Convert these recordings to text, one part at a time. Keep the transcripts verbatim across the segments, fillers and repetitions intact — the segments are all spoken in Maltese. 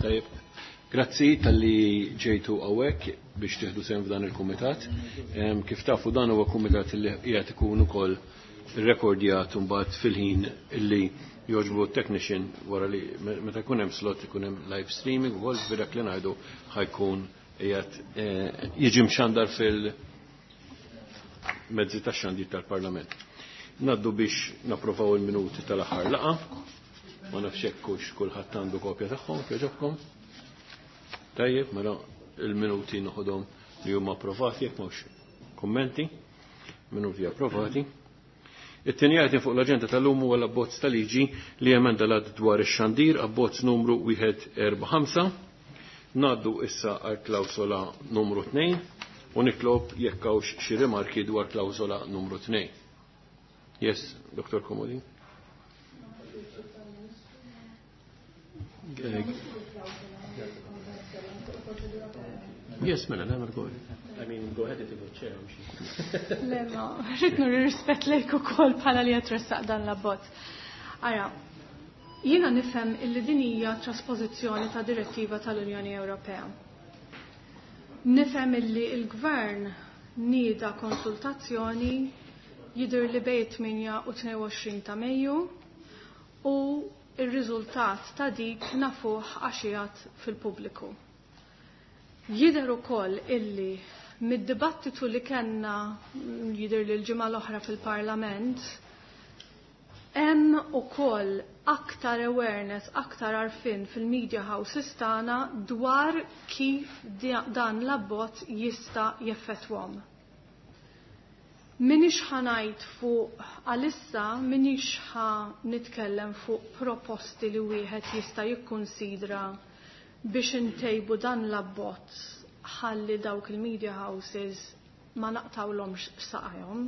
Tajjeb. Grazzi talli ġejtu hawnhekk biex tieħdu sehem f'dan il-kumitat. Kif tafu dan huwa kumitat li qiegħed ikun ukoll irrekordjat mbagħad fil-ħin illi jogħġbu technician wara li meta jkun hemm slot ikun hemm live streaming ukoll dak li ngħidu ħa jkun qiegħed eh, jiġi mxandar fil-mezzi tax-xandir tal-Parlament. Ngħaddu biex napprovaw il-minuti tal-aħħar laqgħa. Ma nafx hekk hux kulħadd għandu kopja tagħhom jogħġobkom. Tajjeb, mela il-minuti noħodhom li huma approvati jekk mhux kummenti, minuti approvati. It-tieni item fuq l-aġenda tal-lum huwa l-abbozz ta' liġi li emenda l dwar ix-xandir, abbozz numru wieħed erba' ħamsa. Ngħaddu issa għal klawsola numru tnejn u nitlob jekk hawnx xi rimarki dwar klawsola numru tnejn. Yes, Doctor Comodini. Yes, mela, nagħmel go ahead. I mean, go ahead if you chair. Le, ma, rrid nuri rispett lejk ukoll bħala li qed tressaq dan l-abbozz. Ara, jiena nifhem illi din hija traspożizzjoni ta' direttiva tal-Unjoni Ewropea. Nifhem illi l-Gvern nieda konsultazzjoni jidher li bejn tmienja u tnejn u għoxrin ta' Mejju u ir-riżultat ta' dik nafuh għax qiegħed fil-pubbliku. Jidher ukoll illi mid-dibattitu li kellna jidher li l-ġimgħa l-oħra fil-Parlament hemm ukoll aktar awareness, aktar għarfien fil-media houses tagħna dwar kif dan l-abbozz jista' jeffettwahom. Minix ħa ngħid fuq għalissa, minix ħa nitkellem fuq proposti li wieħed jista' jikkunsidra biex intejbu dan l-abbozz ħalli dawk il-media houses ma naqtawlhomx saqajhom.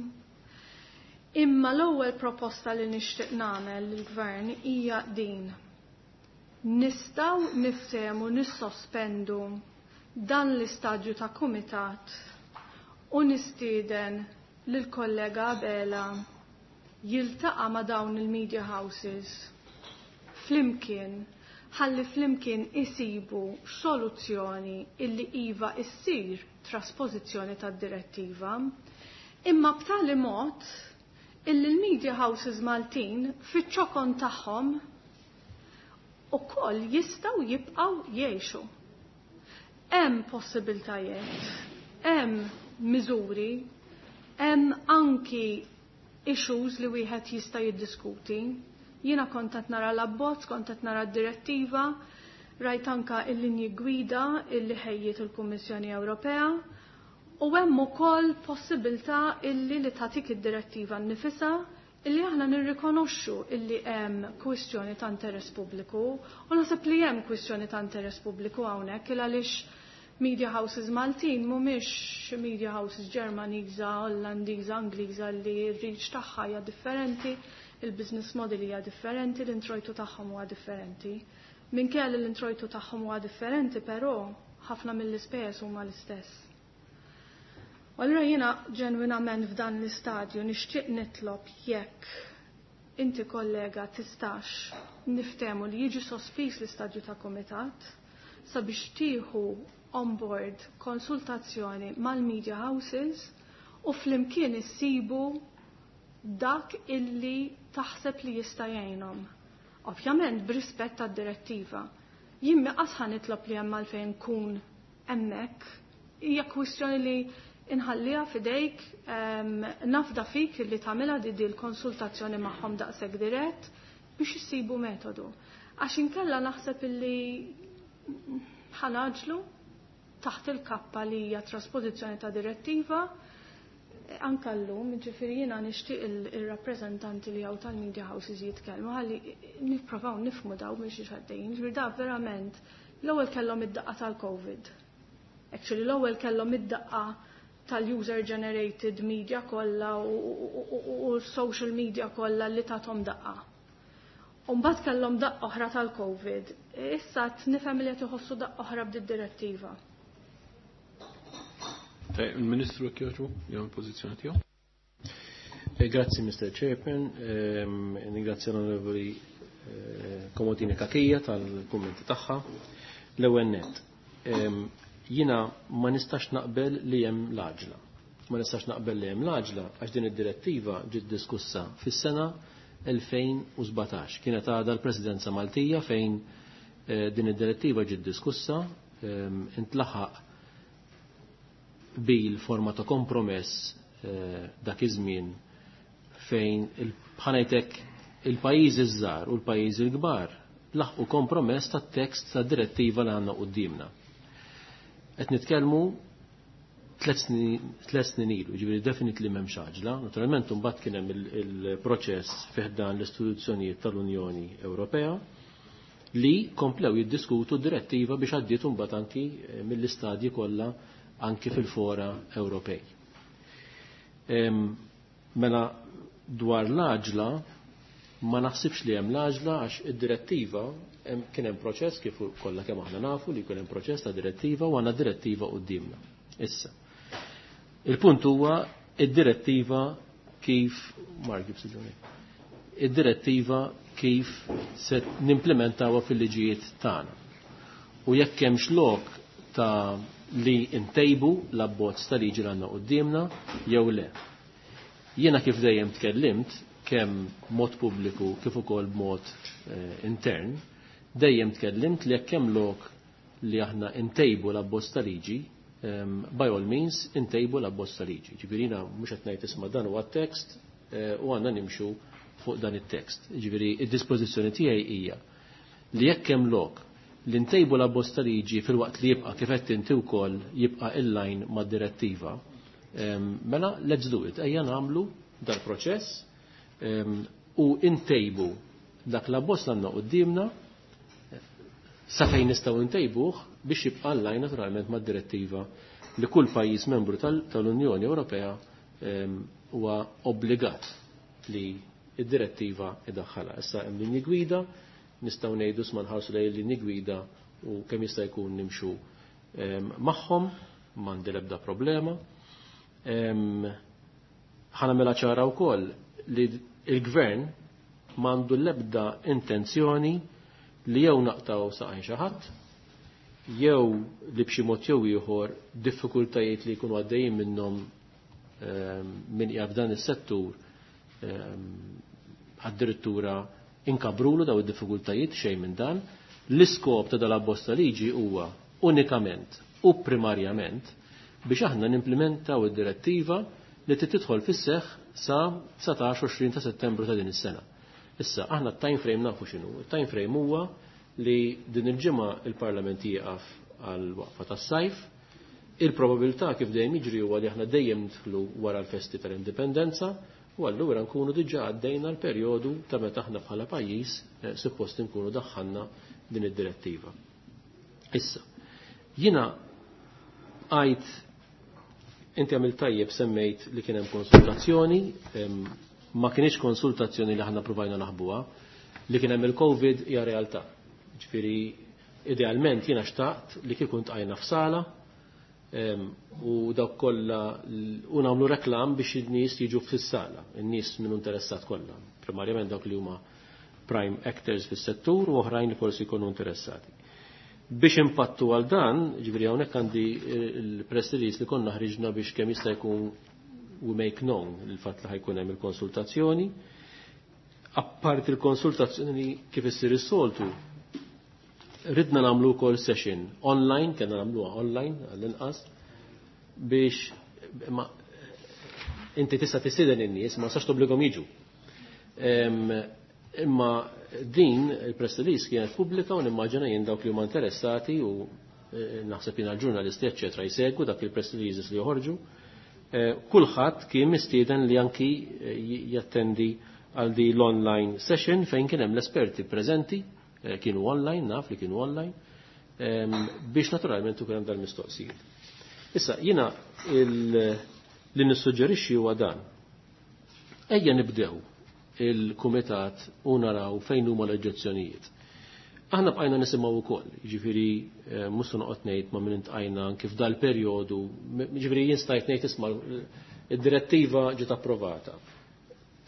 Imma l-ewwel proposta li nixtieq nagħmel lill-Gvern hija din. Nistgħu niftehmu nissospendu dan l-istadju ta' kumitat u nistieden lill-kollega Abela jiltaqa' ma' dawn il-media houses flimkien ħalli flimkien isibu soluzzjoni illi iva issir traspożizzjoni tad-direttiva, imma b'tali mod illi l-media houses Maltin fiċ-ċokon tagħhom ukoll jistgħu jibqgħu jgħixu. Hemm possibiltajiet, hemm miżuri, hemm anki issues li wieħed jista' jiddiskuti. Jiena kont qed nara l-abbozz, kont qed nara d-direttiva, rajt anka l-linji gwida illi ħejjiet il-Kummissjoni Ewropea u hemm ukoll possibilità illi li tagħtik id-direttiva nnifisha illi aħna nirrikonoxxu illi hemm kwistjoni ta' interess pubbliku u naħseb li hemm kwistjoni ta' interess pubbliku hawnhekk il għaliex media houses Maltin mhumiex media houses Ġermaniża, Ollandiża, Angliża li r-reach tagħha hija differenti, il-business model hija differenti, l-introjtu tagħhom huwa differenti. Minkejja li l-introjtu tagħhom huwa differenti, però ħafna mill-ispejjeż huma l-istess. U allura jiena ġenwinament f'dan l-istadju nixtieq nitlob jekk inti kollega tistax niftehmu li jiġi sospiż l-istadju ta' kumitat sabiex tieħu on board konsultazzjoni mal-media houses u flimkien issibu dak illi taħseb li jista' jgħinhom. Ovvjament b'rispett tad-direttiva. Jien mi qatt ħa nitlob li hemm għalfejn nkun hemmhekk. Hija kwistjoni li inħalliha f'idejk, ehm, nafda fik li tagħmilha di di l-konsultazzjoni magħhom daqshekk dirett biex issibu metodu. Għax inkella naħseb illi ħanaġlu taħt il-kappa li hija trasposizzjoni ta' direttiva anka llum, ġifieri jiena nixtieq il-rappreżentanti li hawn tal-media houses jitkellmu ħalli nipprovaw nifhmu daw minn xi għaddejjin. Ġifieri da verament l-ewwel kellhom id-daqqa tal-COVID. Actually l-ewwel kellhom id-daqqa tal-user generated media kollha u social media kollha li tathom daqqa. U mbagħad kellhom daqqa oħra tal-COVID. Issa qed nifhem li qed iħossu daqqa oħra b'did direttiva. Il-Ministru jekk jogħġbu, jew il-pożizzjoni tiegħu. Eh, grazzi, Mister Chairman. Ehm, ringrazzja l-Onorevoli, eh, Comodini Cachia tal-kummenti tagħha. L-ewwel nett, jiena ma nistax naqbel li hemm l-għaġla. Ma nistax naqbel li hemm l-għaġla għax din id-direttiva ġiet diskussa fis-sena elfejn u sbatax. Kienet għadha l-Presidenza Maltija fejn din id-direttiva ġiet diskussa, intlaħaq bil forma ta' kompromess dak iż-żmien fejn bħanajtek il-pajjiżi żgħar u l-pajjiżi l-kbar laħqu kompromess tat-tekst tad-direttiva li għandna quddiemna. Qed nitkellmu tliet snin ilu, ġifieri definitely m'hemmx għaġla. Naturalment imbagħad kien hemm il-proċess fih dan l-istituzzjonijiet tal-Unjoni Ewropea li komplew jiddiskutu d-direttiva biex għaddiet imbagħad anki mill-istadji kollha anki fil-fora Ewropej. Mela dwar l-għaġla ma naħsibx li hemm l-għaġla għax id-direttiva kien hemm proċess kif kollha kemm aħna nafu li jkun hemm proċess ta' direttiva u għandna direttiva quddiemna. Issa. Il-punt huwa id-direttiva kif Mark Gibson id-direttiva kif se nimplementawha fil-liġijiet tagħna. U jekk hemmx lok ta' li ntejbu l-abbozz ta' liġi li għandna quddiemna jew le. Jiena kif dejjem tkellimt kemm mod pubbliku kif ukoll b'mod intern, dejjem tkellimt li jekk hemm lok li aħna ntejbu l-abbozz ta' liġi, by all means intejbu l-abbozz ta' liġi. Ġifieri jiena mhux qed ngħid isma' dan huwa t-tekst u għandna nimxu fuq dan it-tekst. Ġifieri id-dispożizzjoni tiegħi hija li jekk hemm lok li ntejbu l-abbozz ta' liġi fil-waqt li jibqa' kif qed inti wkoll jibqa' inline mad-direttiva, mela let's do it, ejja nagħmlu dal-proċess u ntejbu dak l-abbozz li għandna quddiemna sa fejn nistgħu ntejbuh biex jibqa' inline naturalment mad-direttiva li kull pajjiż membru tal-Unjoni Ewropea huwa obbligat li id-direttiva idaħħalha. Issa hemm linji gwida, nistgħu ngħidu sma nħarsu lejn linji gwida u kemm jista' jkun nimxu magħhom, m'għandi l-ebda problema. Ħa nagħmilha ċara wkoll li l-gvern m'għandu l-ebda intenzjoni li jew naqtaw saqajn xi ħadd, jew li b'xi mod jew ieħor diffikultajiet li jkunu għaddejjin minnhom min qiegħed f'dan is-settur addirittura inkabrulu daw id-diffikultajiet xejn minn dan. L-iskop ta' dal-abbozz ta' liġi huwa unikament u primarjament biex aħna nimplementaw id-direttiva li tidħol fis-seħħ sa dsatax għoxrin ta' Settembru ta' din is-sena. Issa aħna t-time frame nafu x'inhu. Il-time frame huwa li din il-ġimgħa il-Parlament jieqaf għal waqfa tas-sajf. Il-probabilità kif dejjem jiġri huwa li aħna dejjem nidħlu wara l-festi tal-Indipendenza u allura nkunu diġà għaddejna l-perjodu ta' meta aħna bħala pajjiż suppost nkunu daħħalna din id-direttiva. Issa, jiena għajt inti għamil tajjeb semmejt li kien hemm konsultazzjoni, ma kienx konsultazzjoni li aħna provajna naħbuha, li kien hemm il-Covid hija realtà. Ġifieri idealment jiena xtaqt li kieku ntqajna f'sala u dawk kollha u nagħmlu reklam biex in-nies jiġu fis-sala, in-nies min interessat kollha, primarjament dawk li huma prime actors fis-settur u oħrajn li forsi jkunu interessati. Biex impattu għal dan, ġifieri hawnhekk għandi il-press release li konna ħriġna biex kemm jista' jkun we make known il-fatt li ħajkun hemm il-konsultazzjoni. Apparti il-konsultazzjoni kif issir is-soltu, ridna nagħmlu wkoll session online, kellna nagħmluha online għall-inqas, biex ma inti tista' tistieden in-nies, ma sax tobblighom jiġu. Imma din il-press release kienet pubblika u nimmaġina jien dawk li huma interessati u naħseb jiena l-ġurnalisti eċċetera jsegwu dak il-press releases li joħorġu. Kulħadd kien mistieden li anki jattendi għal di l-online session fejn kien hemm l-esperti preżenti, kienu online, naf li kienu online, biex naturalment ukoll hemm dal-mistoqsijiet. Issa jiena li nissuġġerixxi huwa dan. Ejja nibdew il-kumitat u naraw fejn huma l-oġġezzjonijiet. Aħna bqajna nisimgħu wkoll, jiġifieri mhux se noqgħod ngħid ma' min intqajna kif dal-perjodu, jiġifieri jien stajt ngħid isma' id-direttiva ġiet approvata.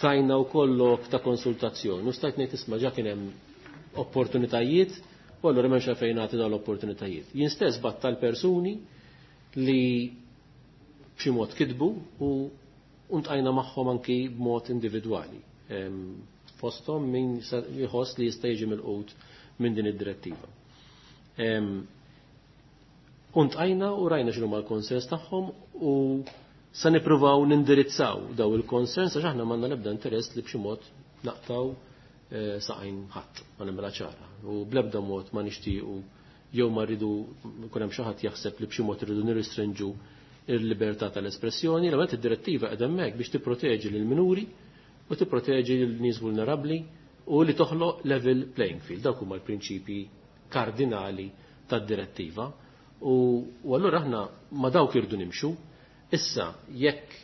Tajna wkoll lok ta' konsultazzjoni, u stajt ngħid isma' ġa kien hemm opportunitajiet U allura m'hemmx għalfejn nagħti dawn l-opportunitajiet. Jien stess battal persuni li b'xi mod kitbu u ntqajna magħhom anki b'mod individwali. Fosthom min jħoss li jista' jiġi milqut minn din id-direttiva. U ntqajna u rajna x'inhuma l-konsens tagħhom u sa nippruvaw nindirizzaw daw il-konsens għax aħna m'għandna l-ebda interess li b'xi mod naqtaw saqajn ħadd, ma nagħmilha ċara. U bl-ebda mod ma nixtiequ jew ma rridu jkun hemm xi ħadd jaħseb li b'xi mod irridu nirrestrinġu il-libertà tal-espressjoni. L-ewwel id-direttiva qed hemmhekk biex tipproteġi lil minuri u tipproteġi lil nies vulnerabbli u li toħloq level playing field. Dawk huma l-prinċipji kardinali tad-direttiva. U, u allura aħna ma dawk irdu nimxu. Issa jekk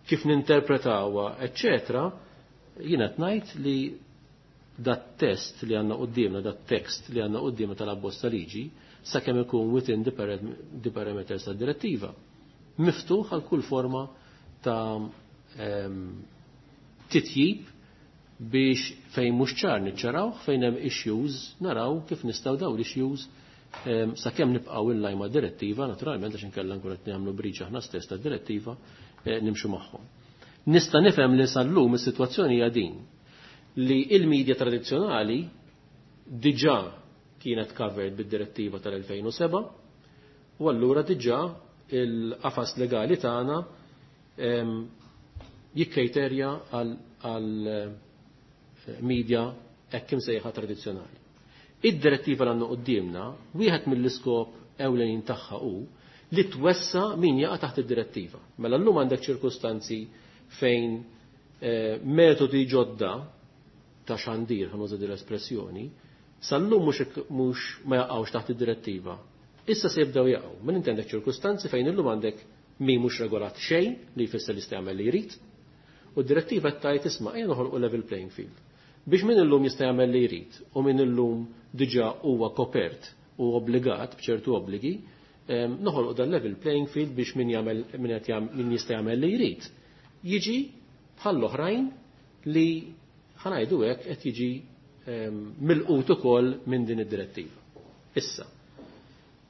kif ninterpretawha, eċċetera, jiena qed ngħid li dat test li għandna quddiemna, dat tekst li għandna quddiemna tal-abbozz ta' liġi, sakemm ikun within the parameters tad-direttiva, miftuħ għal kull forma ta' titjib biex fejn mhux ċar niċċaraw, fejn hemm issues naraw kif nistgħu daw l-issues sakemm nibqgħu in line mad-direttiva, naturalment għax inkella nkun qed nagħmlu breach aħna stess tad-direttiva, nimxu magħhom. Nista' nifhem li sal-lum is-sitwazzjoni hija din li il-medja tradizzjonali diġà kienet covered bid-direttiva tal-elfejn u seba' u allura diġà il-qafas legali tagħna jikkejterja għal media hekk imsejħa tradizzjonali. Id-direttiva l għandna quddiemna, wieħed mill-iskop ewlenin tagħha hu li twessa min jaqa' taħt id-direttiva. Mela llum għandek ċirkustanzi fejn metodi ġodda ta' xandir, ħa nuża din l-espressjoni, sal-lum mhux ma jaqgħux taħt id-direttiva. Issa se jibdew jaqgħu. Min inti għandek ċirkustanzi fejn illum għandek min mhux regolat xejn li jfisser li jista' jagħmel li jrid, u d-direttiva tgħid isma' ejja noħolqu level playing field. Biex min illum jista' jagħmel li jrid u min illum diġà huwa kopert u obbligat b'ċertu obbligi, noħolqu dan level playing field biex min jagħmel min qed jagħmel min jista' jagħmel li jrid jiġi bħall-oħrajn li ħanajdu hekk qed jiġi milqut ukoll minn din id-direttiva. Issa,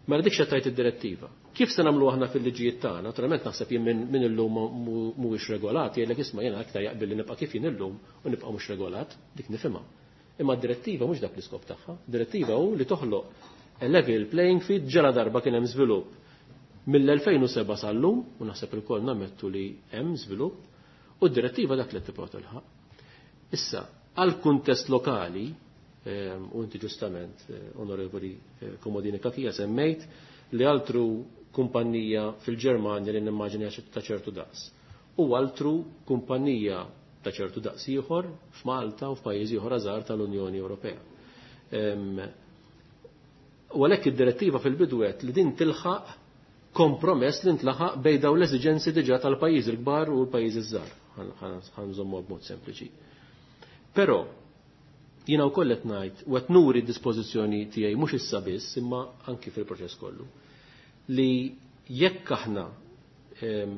mela dik x'qed tgħid id-direttiva. Kif se nagħmlu aħna fil-liġijiet tagħna? Naturalment naħseb jien minn illum mhuwiex regolat, jgħidlek isma' jiena aktar jaqbel li nibqa' kif jien illum u nibqa' mhux regolat, dik nifhimha. Imma d-direttiva mhux dak l-iskop tagħha. Direttiva hu li toħloq a level playing field ġara darba kien hemm żvilupp mill-elfejn u seba' sal-lum, u naħseb ilkoll nammettu li hemm żvilupp, u d-direttiva dak li tipprova tilħaq. Issa, għal kuntest lokali, u inti ġustament, Onorevoli Comodini Cachia, semmejt li altru kumpanija fil-Ġermanja li nimmaġina ta' ċertu daqs. U altru kumpanija ta' ċertu daqs ieħor f'Malta u f'pajjiżi oħra żgħar tal-Unjoni Ewropea. U għalhekk id-direttiva fil-bidu għedt li din tilħaq kompromess li ntlaħaq bejn dawn l-eżiġenzi diġà tal-pajjiżi l-kbar u l-pajjiżi żgħar. Ħanżommu b'mod sempliċi. Però jiena wkoll qed ngħid u qed nuri d-dispożizzjoni tiegħi mhux issa biss imma anki fil-proċess kollu li jekk aħna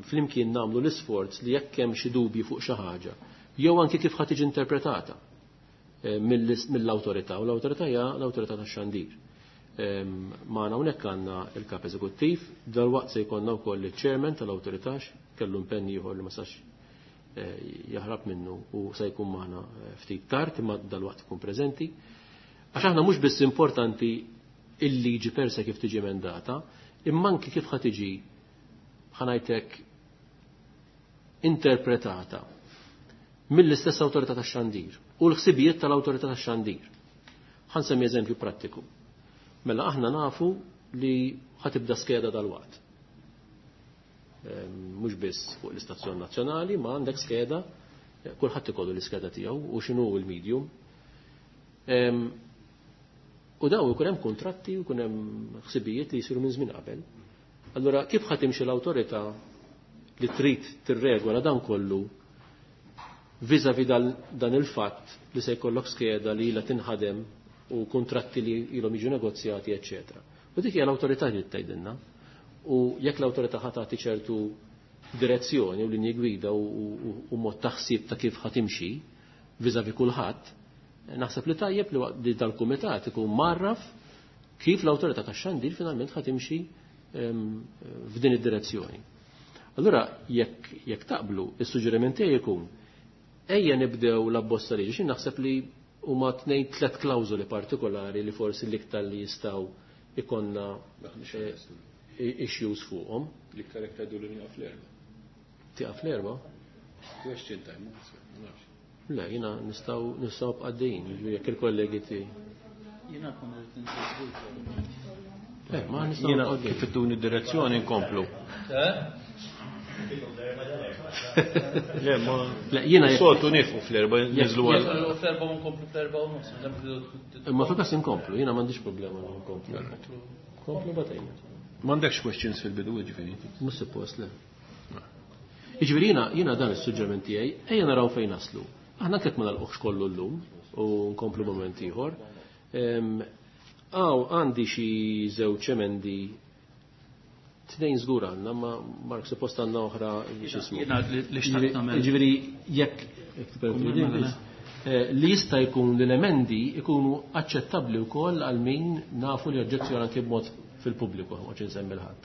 flimkien nagħmlu l-isforz li jekk hemm xi dubji fuq xi ħaġa, jew anki kif ħa tiġi interpretata mill-awtorità, u l-awtorità hija l-awtorità tax-xandir. Magħna hawnhekk għandna il-kap eżekuttiv, dalwaqt se jkollna wkoll il-chairman tal-awtorità kellu impenn ieħor li ma sax jaħrab minnu u se jkun magħna ftit tard imma dalwaqt ikun preżenti. Għax aħna mhux biss importanti il-liġi per se kif tiġi emendata, imma anki kif ħa tiġi ħanajtek interpretata mill-istess awtorità tax-xandir u l-ħsibijiet tal-awtorità tax-xandir. Ħansemmi eżempju prattiku. Mela aħna nafu li ħatibda skeda dal-waqt. Mhux biss fuq l-istazzjon nazzjonali, ma għandek skeda, kulħadd ikollu l-iskeda tiegħu u x'inhu l-medium. U daw ikun hemm kuntratti u jkun hemm ħsibijiet li jsiru minn żmien qabel. Allura kif ħa timxi l-awtorità li trid tirregola dan kollu vis-à-vis dan il-fatt li se jkollok skeda li ilha tinħadem u kuntratti li ilhom jiġu negozjati, eċċetera. U dik hija l-awtorità li tgħidilna. U jekk l-awtorità ħa tagħti ċertu direzzjoni u linji gwida u mod ta' ħsieb ta' kif ħa timxi vis-à-vis kulħadd, naħseb li tajjeb li dal-kumitat ikun marraf Kif l-awtorità tax-xandir finalment ħa timxi f'din id-direzzjoni. Allura jekk jekk taqblu, is-suġġeriment tiegħi jkun ejja nibdew l-abbozz ta' liġi, xi naħseb li huma tnejn tliet klawżoli partikolari li forsi l-iktar li jistgħu ikonna issues fuqhom. L-iktar jekk tgħidu li nieqaf l-erba. Tieqaf l-erba? Question time, ma nafx. Le, jiena nistgħu nistgħu bqaddejjin, jekk il-kollegi tiegħi. Jiena kont irid inżid. Le, ma nistgħu Jiena kif ittuni d-direzzjoni nkomplu. Le, ma Le, jiena jekk soltu nieqfu fl-erba, niżlu għal. Fl-erba u nkomplu fl-erba u nofs. Imma fil-każ inkomplu, jiena m'għandix problema li nkomplu. Komplu batejna. M'għandekx questions fil-bidu, ġifieri. Mhux suppost le. Jiġifieri jiena jiena dan is-suġġeriment tiegħi, ejja naraw fejn naslu. Aħna anke ma nagħlquhx kollu llum u nkomplu mument ieħor. Għaw għandi xi żewġ emendi, tnejn żgur għandna, ma Mark suppost għandna oħra x'ismu. Jiena li xtaqt nagħmel. Jiġifieri jekk li jista' jkun li l-emendi jkunu aċċettabbli wkoll għal min nafu li oġġezzjoni anke b'mod fil-pubbliku, ma insemmi l-ħadd.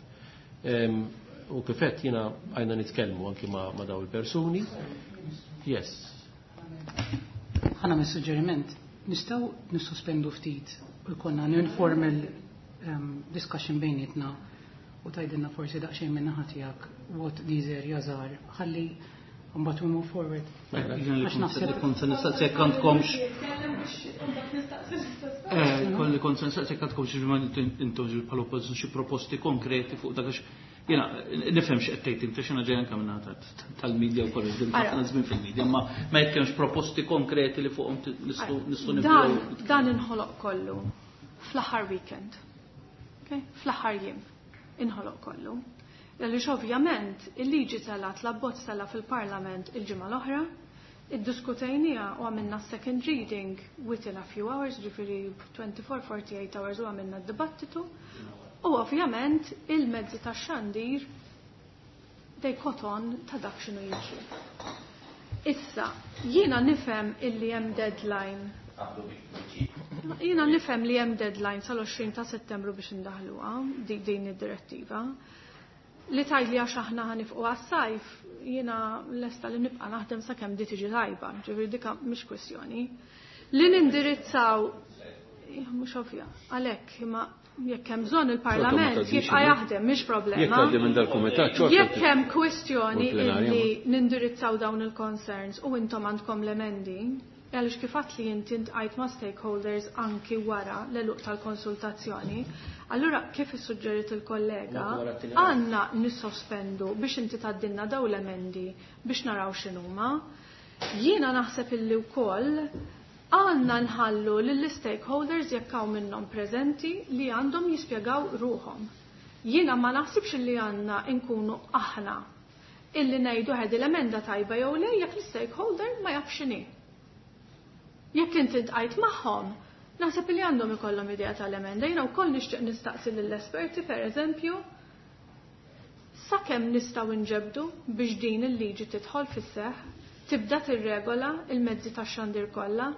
U kif qed jiena għajna nitkellmu anki ma' daw il-persuni. Yes. Ħana mis-suġġeriment, nistgħu nissospendu ftit u jkollna an informal um, discussion bejnietna u tgħidilna forsi daqsxejn minn naħa tiegħek what these areas are, ħalli mbagħad we move forward. Għax naħseb kont se nistaqsi jekk għandkomx. Eh, kolli kont se nistaqsi jekk għandkomx intom bħala oppożizzjoni xi proposti konkreti fuq dak għax jiena nifhem x'qed tgħid inti x'ina ġej anke minn tal-media wkoll iżdim ħafna żmien fil-media, ma ma jekk hemmx proposti konkreti li fuqhom nistgħu nistgħu nibdew. Dan inħoloq kollu fl-aħħar weekend. Fl-aħħar jiem inħoloq kollu. Għaliex ovvjament il-liġi telgħet, l-abbozz tela' fil-Parlament il-ġimgħa l-oħra, iddiskutejniha u għamilna second reading within a few hours, ġifieri twenty-four forty-eight hours u għamilna d-dibattitu. U ovvjament il-mezzi tax-xandir they caught on ta' dak x'inhu jiġri. Issa, jiena nifhem illi hemm deadline. Jiena nifhem li hemm deadline sal-għoxrin ta' Settembru biex indaħluha din id-direttiva. Li tgħidli għax aħna ħanifqu għas-sajf, jiena lesta li nibqa' naħdem sakemm di tiġi tajba, ġifieri dika mhix kwestjoni. Li nindirizzaw mhux ovvja, għalhekk imma jekk hemm bżonn il-Parlament jibqa' jaħdem, mhix problema. Jekk tgħaddi minn dal-kumitat xorta. Jekk hemm kwestjoni li nindirizzaw dawn il-concerns u intom għandkom l-emendi, għaliex kif għedt li inti ntqajt ma' stakeholders anki wara l-eluq tal-konsultazzjoni, allura kif issuġġerit il-kollega, għandna nissospendu biex inti tgħaddilna daw l-emendi biex naraw x'inhuma. Jiena naħseb illi wkoll għandna nħallu lill-stakeholders jekk hawn minnhom preżenti li għandhom jispjegaw ruħhom. Jiena ma naħsibx illi għandna nkunu aħna illi ngħidu ħed l-emenda tajba jew le jekk l-stakeholder ma jafx x'inhi. Jekk inti ntqajt magħhom, naħseb li għandhom ikollhom idea tal-emenda. Jiena wkoll nixtieq nistaqsi lill-esperti pereżempju sakemm nistgħu nġebdu biex din il-liġi tidħol fis-seħħ, tibda tirregola il-mezzi tax-xandir kollha,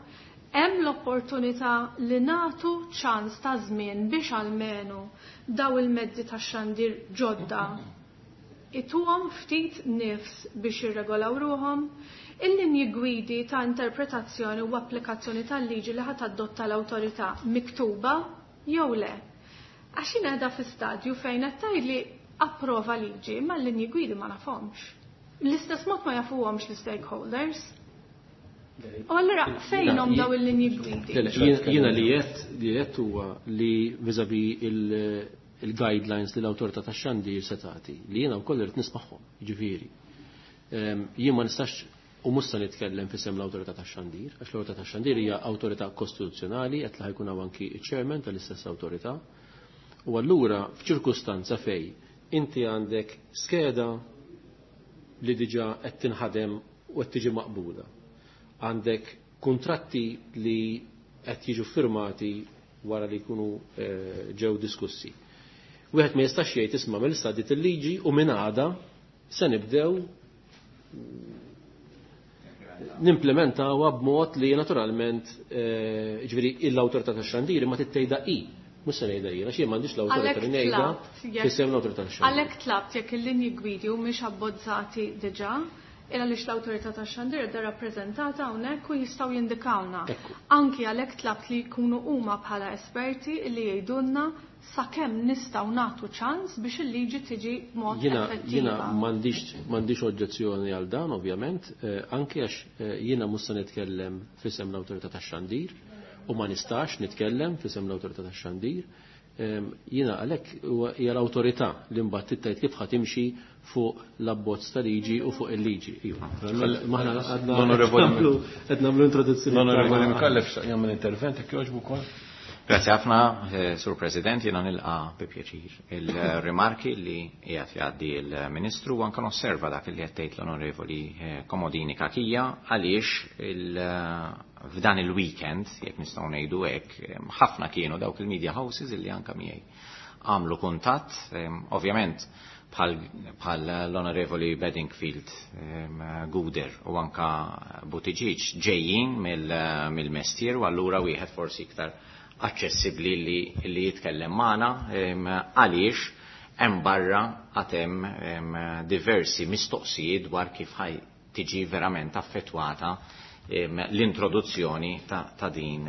hemm l-opportunità li nagħtu ċans ta' żmien biex almenu daw il-mezzi tax-xandir ġodda ituhom ftit nifs biex jirregolaw ruhom. Il-linji gwidi ta' interpretazzjoni u applikazzjoni tal-liġi li ħat adotta l-awtorità miktuba jew le. Għax jien qiegħda fi stadju fejn qed tgħidli approva liġi, ma l-linji gwidi ma nafhomx. L-istess mod ma jafuhomx l-stakeholders. U allura fejnhom daw il-linji gwidi? Jiena li qed li qed huwa li vis-à-vis il-guidelines li l-awtorità tax-xandir se tagħti, li jiena wkoll irid nismagħhom, jiġifieri. Jien ma nistax u mhux se nitkellem f'isem l-awtorità tax-xandir, għax l-awtorità tax-xandir hija awtorità kostituzzjonali qed li ħajkun hawn anki ċ-chairman tal-istess awtorità. U allura f'ċirkustanza fej inti għandek skeda li diġà qed tinħadem u qed tiġi maqbula. Għandek kuntratti li qed jiġu firmati wara li jkunu ġew diskussi. Wieħed ma jistax jgħid isma' mill-issa dit il-liġi u minn għada se nibdew nimplementawha b'mod li naturalment ġifieri l-awtorità tax-xandiri ma tittejda i Mhux se ngħidha jiena, xi m'għandix l-awtorità li ngħidha f'isem l-awtorità tax-xandir. Għalhekk tlabt jekk il-linji gwidi mhumiex abbozzati diġà, il għaliex l-awtorità tax-xandir qiegħda rappreżentata hawnhekk u jistgħu jindikawna. Anki għalhekk tlabt li jkunu huma bħala esperti li jgħidulna sakemm nistgħu nagħtu ċans biex il-liġi tiġi b'mod effettiva. Jiena m'għandix oġġezzjoni għal dan ovvjament, anki għax jiena mhux se nitkellem f'isem l-awtorità tax-xandir u ma nistax nitkellem f'isem l-awtorità tax-xandir. Jiena għalhekk hija l-awtorità li mbagħad tittajt kif ħa timxi fuq l-abbozz ta' liġi u fuq il-liġi. Maħna qed nagħmlu introduzzjoni. L-Onorevoli Micallef jagħmel intervent jekk jogħġbu wkoll. Grazie ħafna, Sur President, jiena nilqa bi pjaċir il-rimarki li qiegħed jgħaddi l-Ministru u anke nosserva dak li qed tgħid l-Onorevoli Comodini Cachia għaliex f'dan il-weekend, jekk nistgħu ngħidu hekk, ħafna kienu dawk il-media houses illi anke miegħi għamlu kuntatt, ovvjament bħal l-Onorevoli Bedingfield, Guder u anka Buttigieg ġejjin mill-mestier u allura wieħed forsi iktar aċċessibbli li, li jitkellem magħna għaliex hemm barra għad hemm diversi mistoqsijiet dwar kif ħaj tiġi verament affettwata l-introduzzjoni ta', ta, din,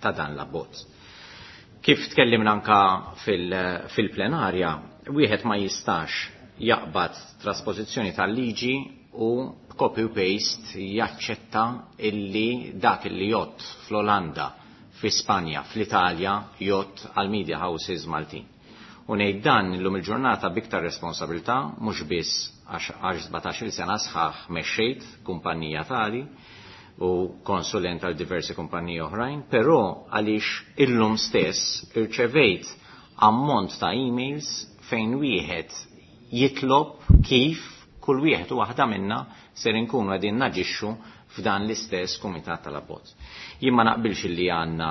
ta' dan l-abbozz. Kif tkellimna anka fil-plenarja, wieħed ma jistax jaqbad trasposizzjoni tal-liġi u copy u paste jaċċetta illi dak illi jott fl-Olanda, fi Spanja, fl-Italja, jott għal media houses Maltin. U ngħid dan illum il-ġurnata biktar responsabilità, mhux biss għax sbatax-il sena sħaħ mexxejt kumpanija tali u konsulent għal diversi kumpaniji oħrajn, però għaliex illum stess irċevejt ammont ta' emails fejn wieħed jitlob kif kull wieħed u waħda minna ser inkunu qegħdin naġixxu f'dan l-istess kumitat tal-abbozz. Jien ma naqbilx li għandna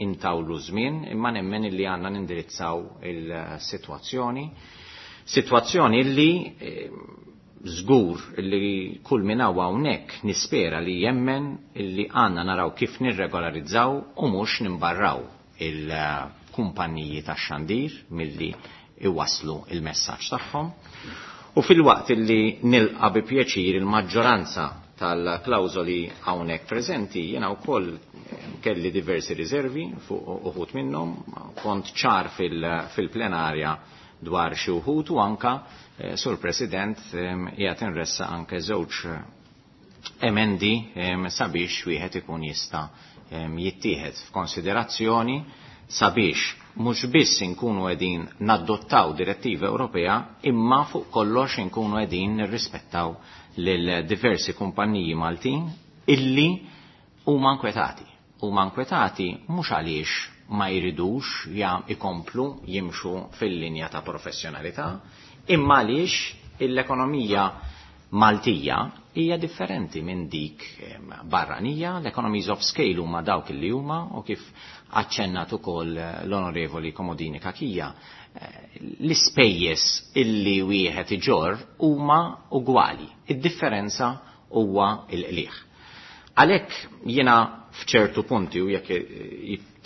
intawlu żmien, imma nemmen li għandna nindirizzaw il-sitwazzjoni. Sitwazzjoni li żgur li kull min hawn hawnhekk nispera li jemmen li għandna naraw kif nirregolarizzaw u mhux nimbarraw il-kumpanniji tax-xandir milli iwaslu il-messaġġ tagħhom. U fil-waqt li nilqa bi pjaċir il-maġġoranza tal-klawżoli hawnhekk preżenti, jiena wkoll kelli diversi riservi fuq uħud minnhom, kont ċar fil-plenarja dwar xi wħud u anka, Sur President, qiegħed inressa anke żewġ emendi sabiex wieħed ikun jista' jittieħed f'konsiderazzjoni sabiex mhux biss inkunu qegħdin nadottaw direttiva Ewropea, imma fuq kollox inkunu qegħdin nirrispettaw lil diversi kumpanniji Maltin illi huma nkwetati. Huma nkwetati mhux għaliex ma jridux jam ikomplu jimxu fil-linja ta' professjonalità, imma għaliex l-ekonomija Maltija hija differenti minn dik barranija, l-economies of scale huma dawk li huma u kif aċċennat ukoll l-Onorevoli Comodini Cachia, l-ispejjeż illi wieħed iġorr huma ugwali. Id-differenza huwa l-qligħ. Għalhekk jiena f'ċertu punti u jekk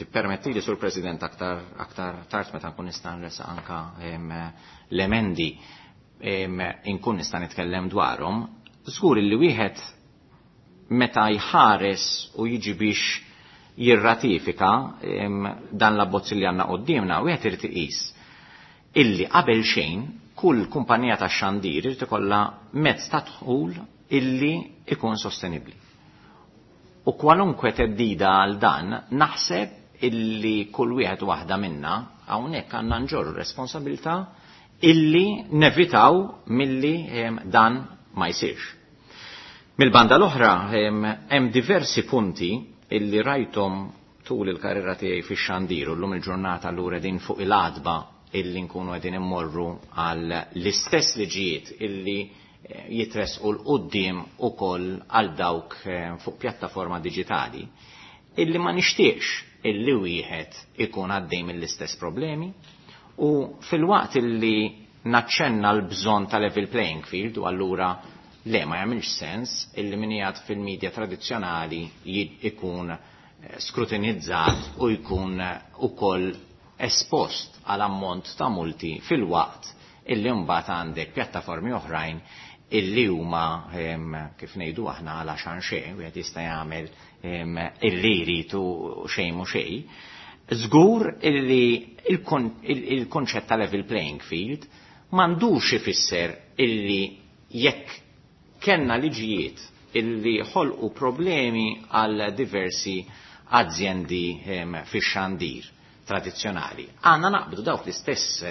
tippermetti li Sur President aktar aktar tard meta nkun nista' nresa anka l-emendi inkun nista' nitkellem dwarhom, żgur li wieħed meta jħares u jiġi biex jirratifika dan l-abbozz li għandna quddiemna, wieħed irid iqis illi qabel xejn kull kumpanija ta' xandir irid ikollha mezz ta' dħul illi ikun sostenibbli. U kwalunkwe teddida għal dan naħseb illi kull wieħed waħda minna hawnhekk għandna nġorru responsabilità illi nevitaw milli dan ma jsirx. Mill-banda l-oħra hemm diversi punti illi rajtom tul il-karriera tiegħi fix-xandir u llum il-ġurnata allura din fuq il-għadba illi nkunu qegħdin immorru għal l-istess liġijiet illi jitresqu l-qudiem ukoll għal dawk fuq pjattaforma diġitali, illi ma nixtieqx illi wieħed ikun għaddej mill-istess problemi u fil-waqt illi naċċenna l-bżonn ta' level playing field u allura le ma jagħmilx sens illi min qiegħed fil-medja tradizzjonali ikun skrutinizzat u jkun ukoll espost għal ammont ta' multi fil-waqt illi mbagħad għandek pjattaformi oħrajn illi huma kif ngħidu aħna għal għaxan xejn, wieħed jista' jagħmel illi jrid u xejn mhu xejn. Żgur illi il-konċett ta' level playing field m'għandux ifisser illi jekk kellna liġijiet illi ħolqu problemi għal diversi azjendi fix-xandir tradizzjonali, għandna naqbdu dawk l-istess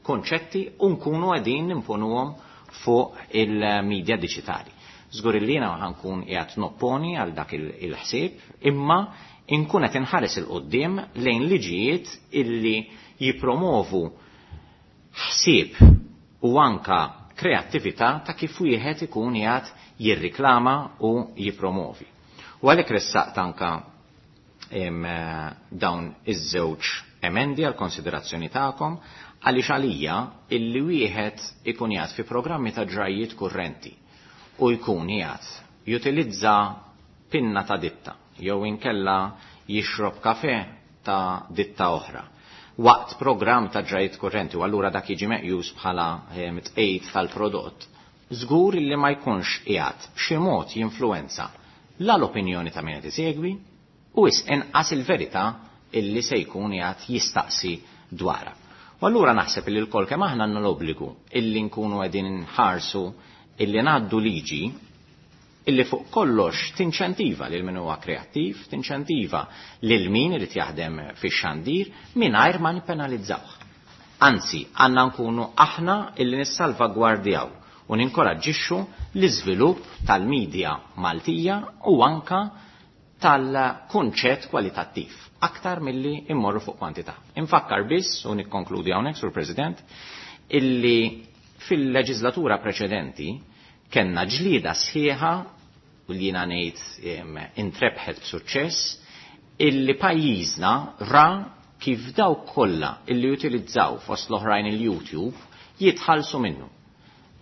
konċetti u nkunu qegħdin nimponuhom fuq il-medja diġitali. Żgur illi jiena ħankun qiegħed nopponi għal dak il-ħsieb, imma inkun qed inħares il quddiem lejn liġijiet illi jippromovu ħsieb u anka kreattività ta' kif wieħed ikun qiegħed jirriklama u jippromovi. U għalhekk ressaqt anka dawn iż-żewġ emendi għal konsiderazzjoni tagħkom, għaliex għalija illi wieħed ikun qiegħed fi programmi ta' ġrajiet kurrenti u jkun qiegħed jutilizza pinna ta' ditta jew inkella jixrob kafe ta' ditta oħra waqt programm ta' ġrajiet kurrenti u allura dak jiġi meqjus bħala tqejt tal-prodott, żgur illi ma jkunx qiegħed b'xi mod jinfluwenza la l-opinjoni ta' min qed isegwi u is inqas il-verità illi se jkun qiegħed jistaqsi dwarha. U allura naħseb li l-kol kemm aħna għandna l-obbligu illi nkunu qegħdin nħarsu illi ngħaddu liġi illi fuq kollox tinċentiva lil min huwa kreattiv, tinċentiva lil min irid jaħdem fix-xandir mingħajr ma nippenalizzawh. Anzi, għandna nkunu aħna illi nissalvagwardjaw u ninkoraġġixxu l-iżvilupp tal-medja Maltija u anka tal-kunċett kwalitattiv aktar milli immorru fuq kwantità. Infakkar biss, u nikkonkludi hawnhekk, Sur President, illi fil-leġislatura preċedenti kellna ġlieda sħiħa u li jiena ngħid intrebħet b'suċċess illi pajjiżna ra kif dawk kollha illi jutilizzaw fost l-oħrajn il-YouTube jitħallsu minnu.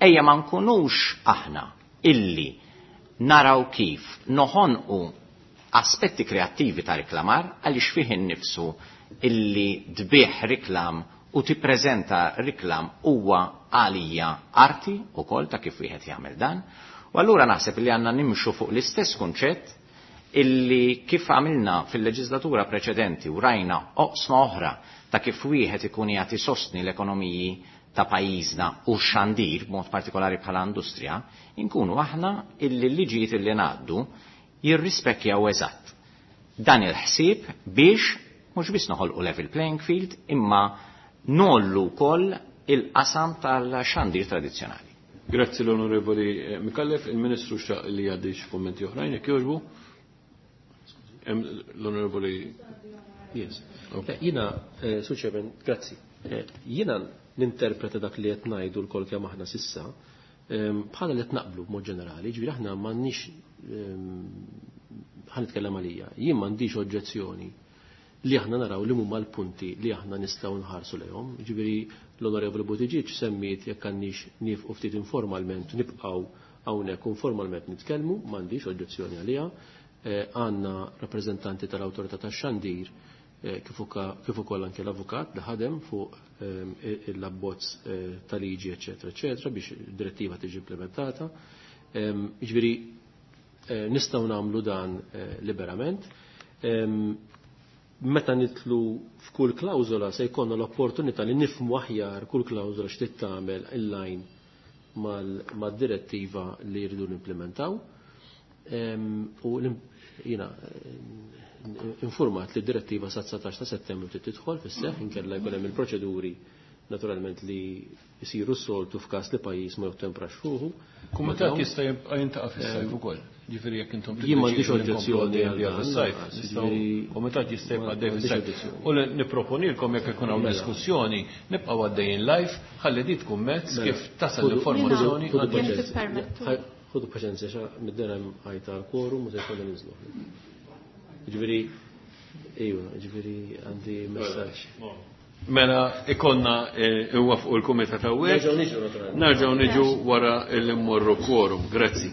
Ejja ma nkunux aħna illi naraw kif noħonqu aspetti kreattivi ta' reklamar għaliex fih innifsu illi tbih reklam u tippreżenta reklam huwa għalija arti ukoll ta' kif wieħed jagħmel dan. U allura naħseb li għandna nimxu fuq l-istess kunċett illi kif għamilna fil-leġislatura preċedenti u rajna oqsma oħra ta' kif wieħed ikun jagħti sostni l-ekonomiji ta' pajjiżna u xandir b'mod partikolari bħala industrija, inkunu aħna illi l-liġijiet illi ngħaddu jirrispekjaw eżatt dan il-ħsieb biex mhux biss noħolqu level playing field imma nollu wkoll il-qasam tal-xandir tradizzjonali. Grazzi l-Onorevoli Micallef, il-Ministru xtaq li jgħaddi xi kummenti oħrajn jekk jogħġbu. L-Onorevoli Yes. Jiena, Sur Chairman, grazzi. Jiena ninterpreta dak li qed ngħidu lkoll kemm aħna sissa bħala li qed naqblu b'mod ġenerali, ġifieri aħna m'għandniex ħa nitkellem għalija, jien m'għandix oġġezzjoni li aħna naraw li huma l-punti li aħna nistgħu nħarsu lejhom. Ġifieri l-Onorevoli Buttigieg semmiet jekk għandniex nifqu ftit informalment nibqgħu hawnhekk informalment nitkellmu, m'għandix oġġezzjoni għaliha. Għandna rappreżentanti tal-Awtorità tax-Xandir kif ukoll anke l-avukat li ħadem fuq l-abbozz ta' liġi, eċetera, eċetera, biex id-direttiva tiġi implementata. Ġifieri nistgħu nagħmlu dan liberament. Meta nitlu f'kull klawżola se jkollna l-opportunità li nifhmu aħjar kull klawżola x'trid tagħmel inline mad-direttiva li jridu nimplementaw. U jiena informat li d-direttiva sa dsatax ta' settembru trid tidħol fis-seħħ, inkella jkun hemm il-proċeduri naturalment li jsiru s-soltu f'każ li pajjiż ma jottemprax fuqu. Kumitat jista' jibqa' jintaqa' fis-sajf ukoll. Ġifieri jekk intom Jien m'għandix oġġezzjoni għal fis-sajf, kumitat jista' jibqa' għaddej fis-sajf. U nipproponilkom jekk ikun hawn diskussjoni nibqgħu għaddejjin live ħalli di tkun mezz kif tasal l-informazzjoni. Ħudu paċenzja xa mid-dera għajta l-quorum u se jkollna ninżlu. Ġifieri, ejwa, ġifieri għandi messaġġ. Mela ikonna huwa fuq il-kumitat hawnhekk. Nerġgħu niġu wara li mmorru quorum. Grazzi.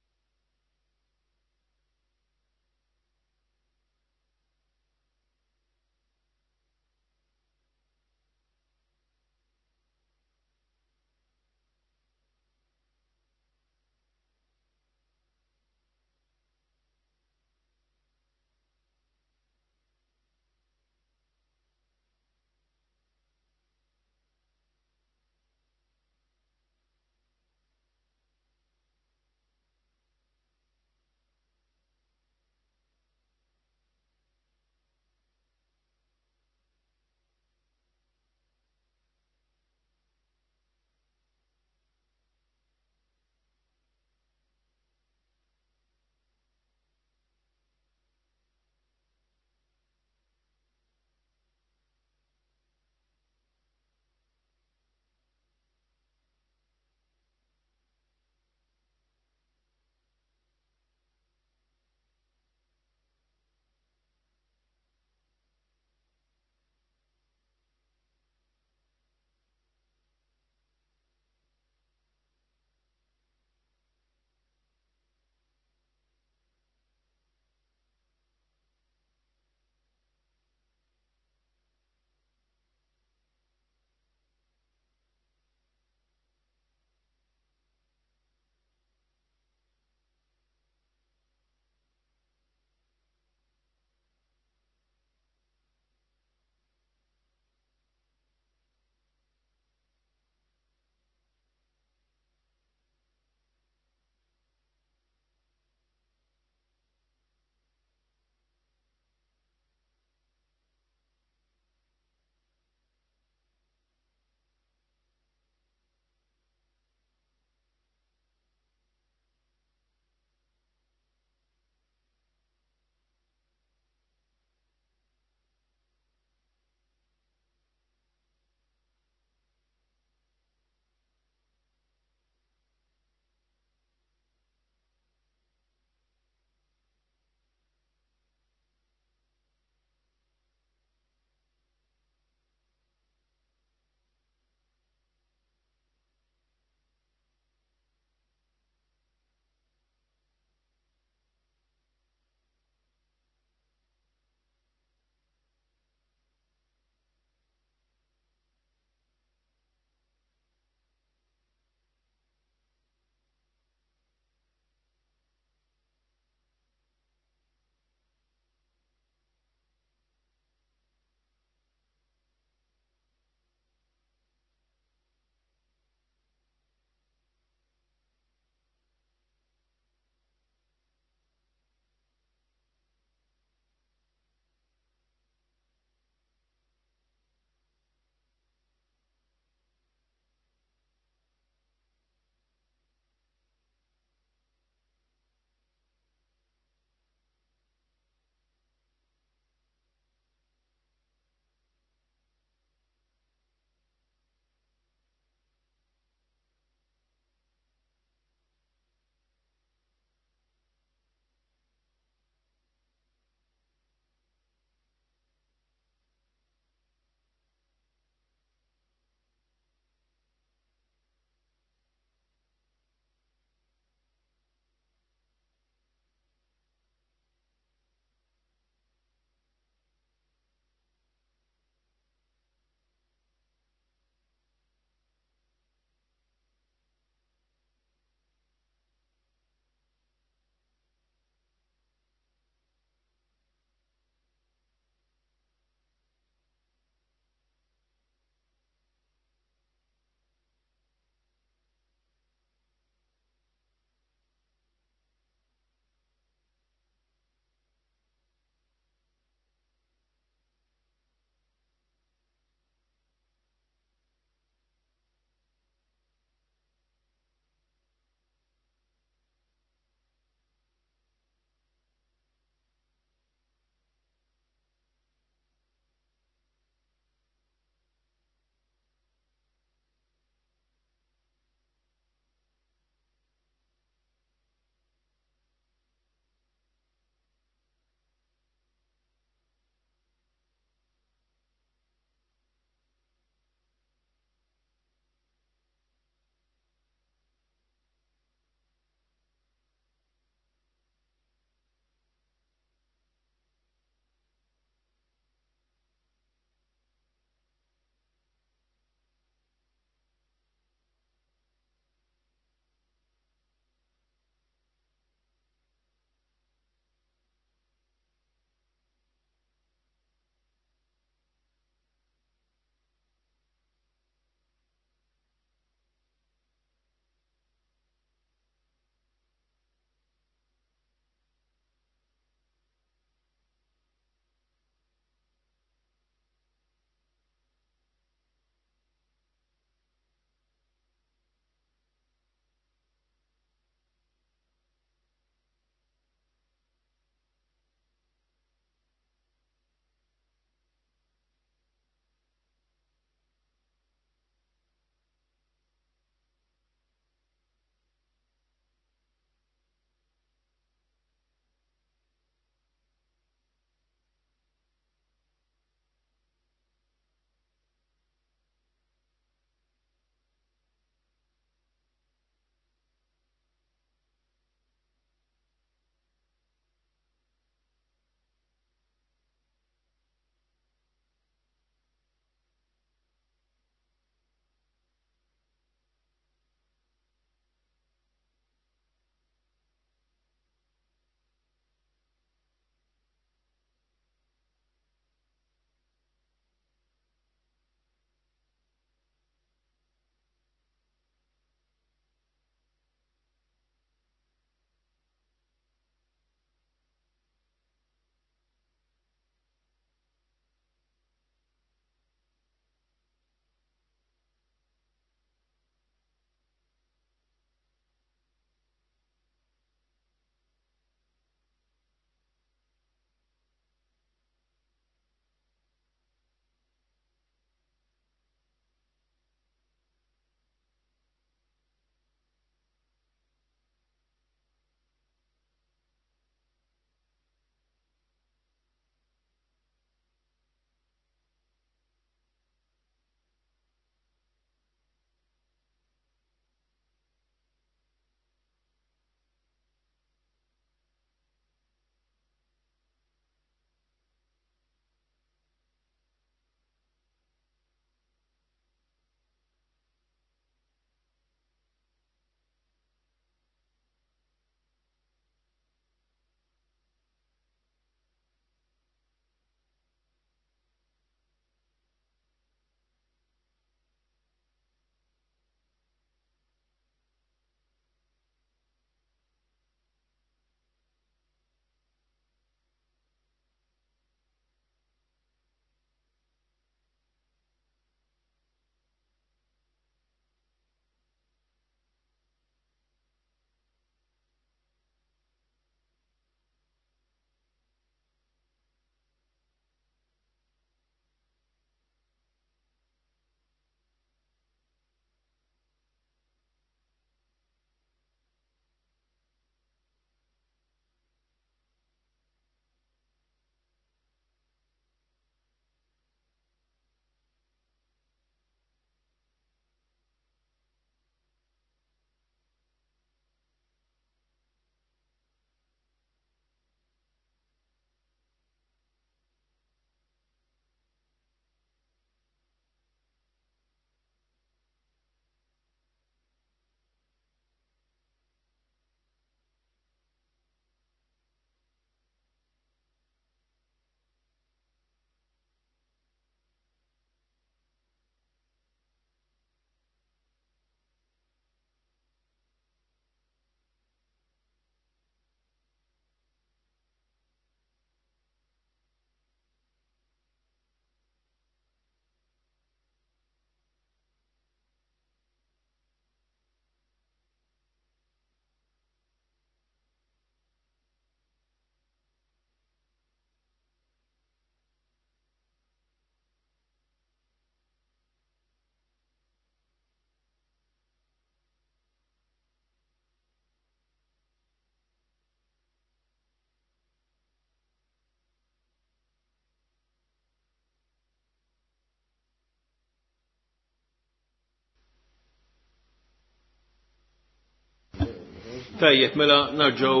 Tajjeb, mela narġgħu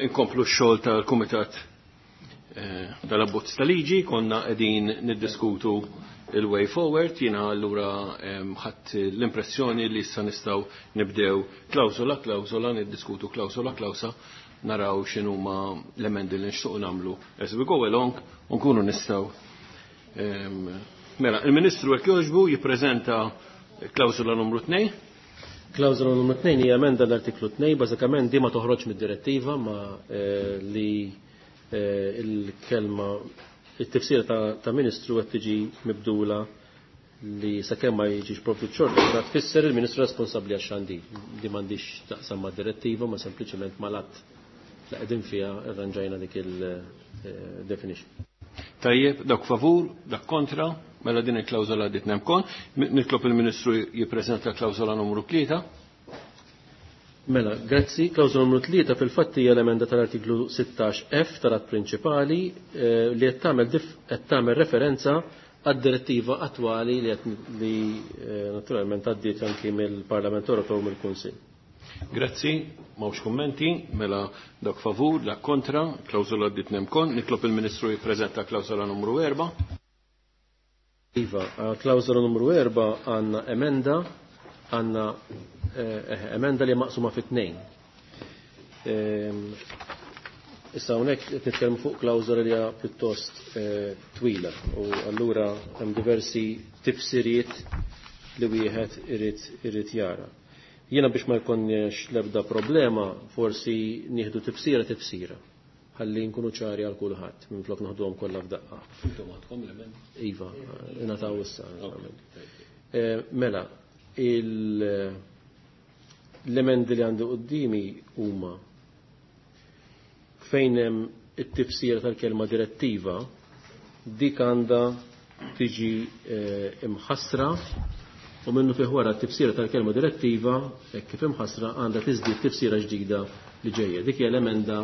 inkomplu x-xogħol tal-Kumitat eh, tal-Abbozz tal-Liġi, konna qegħdin niddiskutu il-way forward, jiena allura ħadd l-impressjoni li issa nistgħu nibdew klawsola klawsola, niddiskutu klawsola klawsa, naraw x'inhuma l-emendi li nixtiequ nagħmlu as we go along u nkunu nistgħu. Mela, il-Ministru hekk jogħġbu jippreżenta klawsola numru tnejn. Klawżola numru tnejn hija emenda l-artiklu tnejn, bażikament di ma toħroġ mid-direttiva ma eh, li eh, il-kelma it-tifsira ta', ta ministru qed tiġi mibdula li sakemm ma jiġix provdut xorta ta' tfisser il-ministru responsabbli għax-xandir. Di m'għandix taqsam mad-direttiva ma sempliċement mal-att li qegħdin fiha irranġajna dik il-definition. Tajjeb, dak favur, dak kontra, mela din il-klawżola għaddiet nemkon. Nitlob il-Ministru jippreżenta klawżola numru tlieta. Mela, grazzi. Klawżola numru tlieta fil-fatt hija l-emenda tal-artiklu sittax F tal-att prinċipali eh, li qed tagħmel qed tagħmel referenza għad-direttiva attwali li qed li eh, naturalment għaddiet anki mill-Parlament Ewropew u mill-Kunsill. Grazzi, m'hawnx kummenti, mela dak favur, dak kontra, klawżola għaddiet nemkon. Nitlob il-Ministru jippreżenta klawżola numru erba'. Iva, klawżola numru erba' għandna emenda, għandna eh, emenda li maqsuma fi tnejn. Ehm, issa hawnhekk qed nitkellmu fuq klawżola li hija pjuttost eh, twila u allura hemm diversi tifsiriet li wieħed irid irid jara. Jiena biex ma jkollniex l-ebda problema, forsi nieħdu tifsira tifsira. Ħalli nkunu ċari għal kulħadd minflok naħduhom kollha f'daqqa. Intom għandkom l-emendi? Iva, ingħataw issa. Eh, mela, il-, l-emendi li għandi qudiemi huma fejn hemm it-tifsira tal-kelma direttiva, dik għandha tiġi eh, imħassra u minnu fih wara t-tifsira tal-kelma direttiva, hekk kif imħassra, għandha tiżdied tifsira ġdida li ġejja. Dik hija l-emenda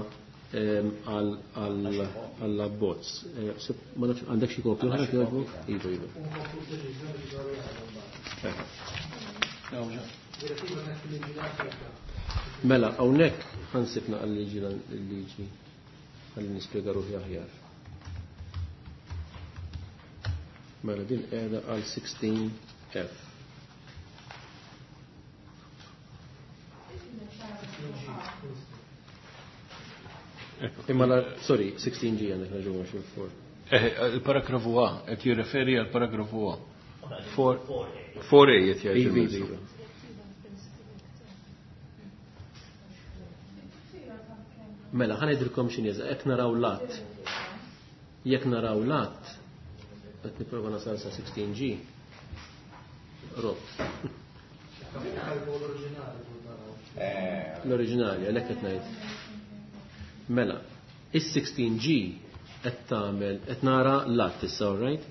għall-abbozz. Ma nafx għandek xi kopju oħra jogħġbok? Iva, iva. Mela, hawnhekk ħansibna għal-liġi l-liġi ħalli nispjega ruħi aħjar. Mela din qiegħda għal sixteen F. Imma la, sorry, sixteen G għandek raġun għax il-four. Eh, il-paragrafu A, qed jirreferi għal paragrafu A. Four, four A qed jgħid Iva, il-Ministru. iva. Mela, ħa ngħidilkom x'inhi, jekk naraw l-att. Jekk naraw l-att, qed nipprova nasal sa sixteen G. Rot. L-oriġinali, għalhekk qed ngħid. Mela, is-sixteen G qed tagħmel, qed nara l-att issa, all right?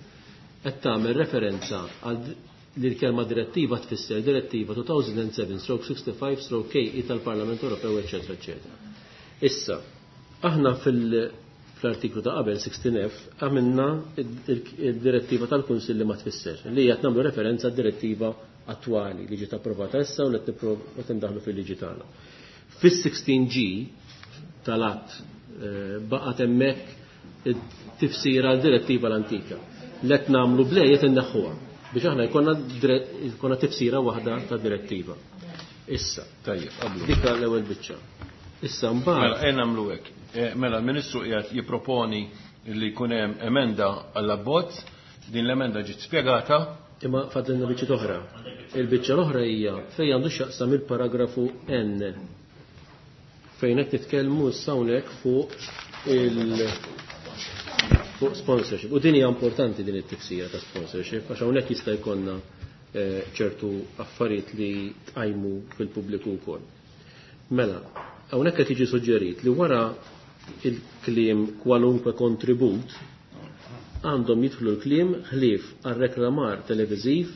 Qed tagħmel referenza għal li l-kelma direttiva tfisser direttiva two thousand and seven stroke sixty-five stroke K E tal-Parlament Ewropew, eċċetera, eċċetera. Issa, aħna fil-, fl-artiklu ta' qabel sixteen F għamilna id-direttiva tal-Kunsill li ma tfisser, li qed nagħmlu referenza għad-direttiva attwali li ġiet approvata issa u li qed nipprov-, qed indaħlu fil-liġi tagħna. Fis-sixteen G tal-att, eh, baqgħet hemmhekk tifsira l-direttiva l-antika. Li qed nagħmlu blej qed inneħħuha biex aħna jkollna dire-, jkollna tifsira waħda ta' direttiva. Issa, Tajjeb, qablu. Dik l-ewwel biċċa. Issa mbagħad Mela, ejja nagħmlu hekk. Eh, mela, l-Ministru qiegħed jipproponi li jkun hemm emenda għall-abbozz, din l-emenda ġiet spjegata. Imma fadlilna biċċa oħra. Il-biċċa l-oħra hija fejn għandu x'jaqsam il-paragrafu N. Fejn qed nitkellmu issa hawnhekk fuq il fuq sponsorship. U din hija importanti din it-tifsira ta' sponsorship għax hawnhekk jista' jkollna, eh, ċertu affarijiet li tqajmu fil-pubbliku wkoll. Mela, hawnhekk qed jiġi suġġerit li wara il-kliem kwalunkwe kontribut għandhom jidħlu l-kliem ħlief għal reklamar televiżiv,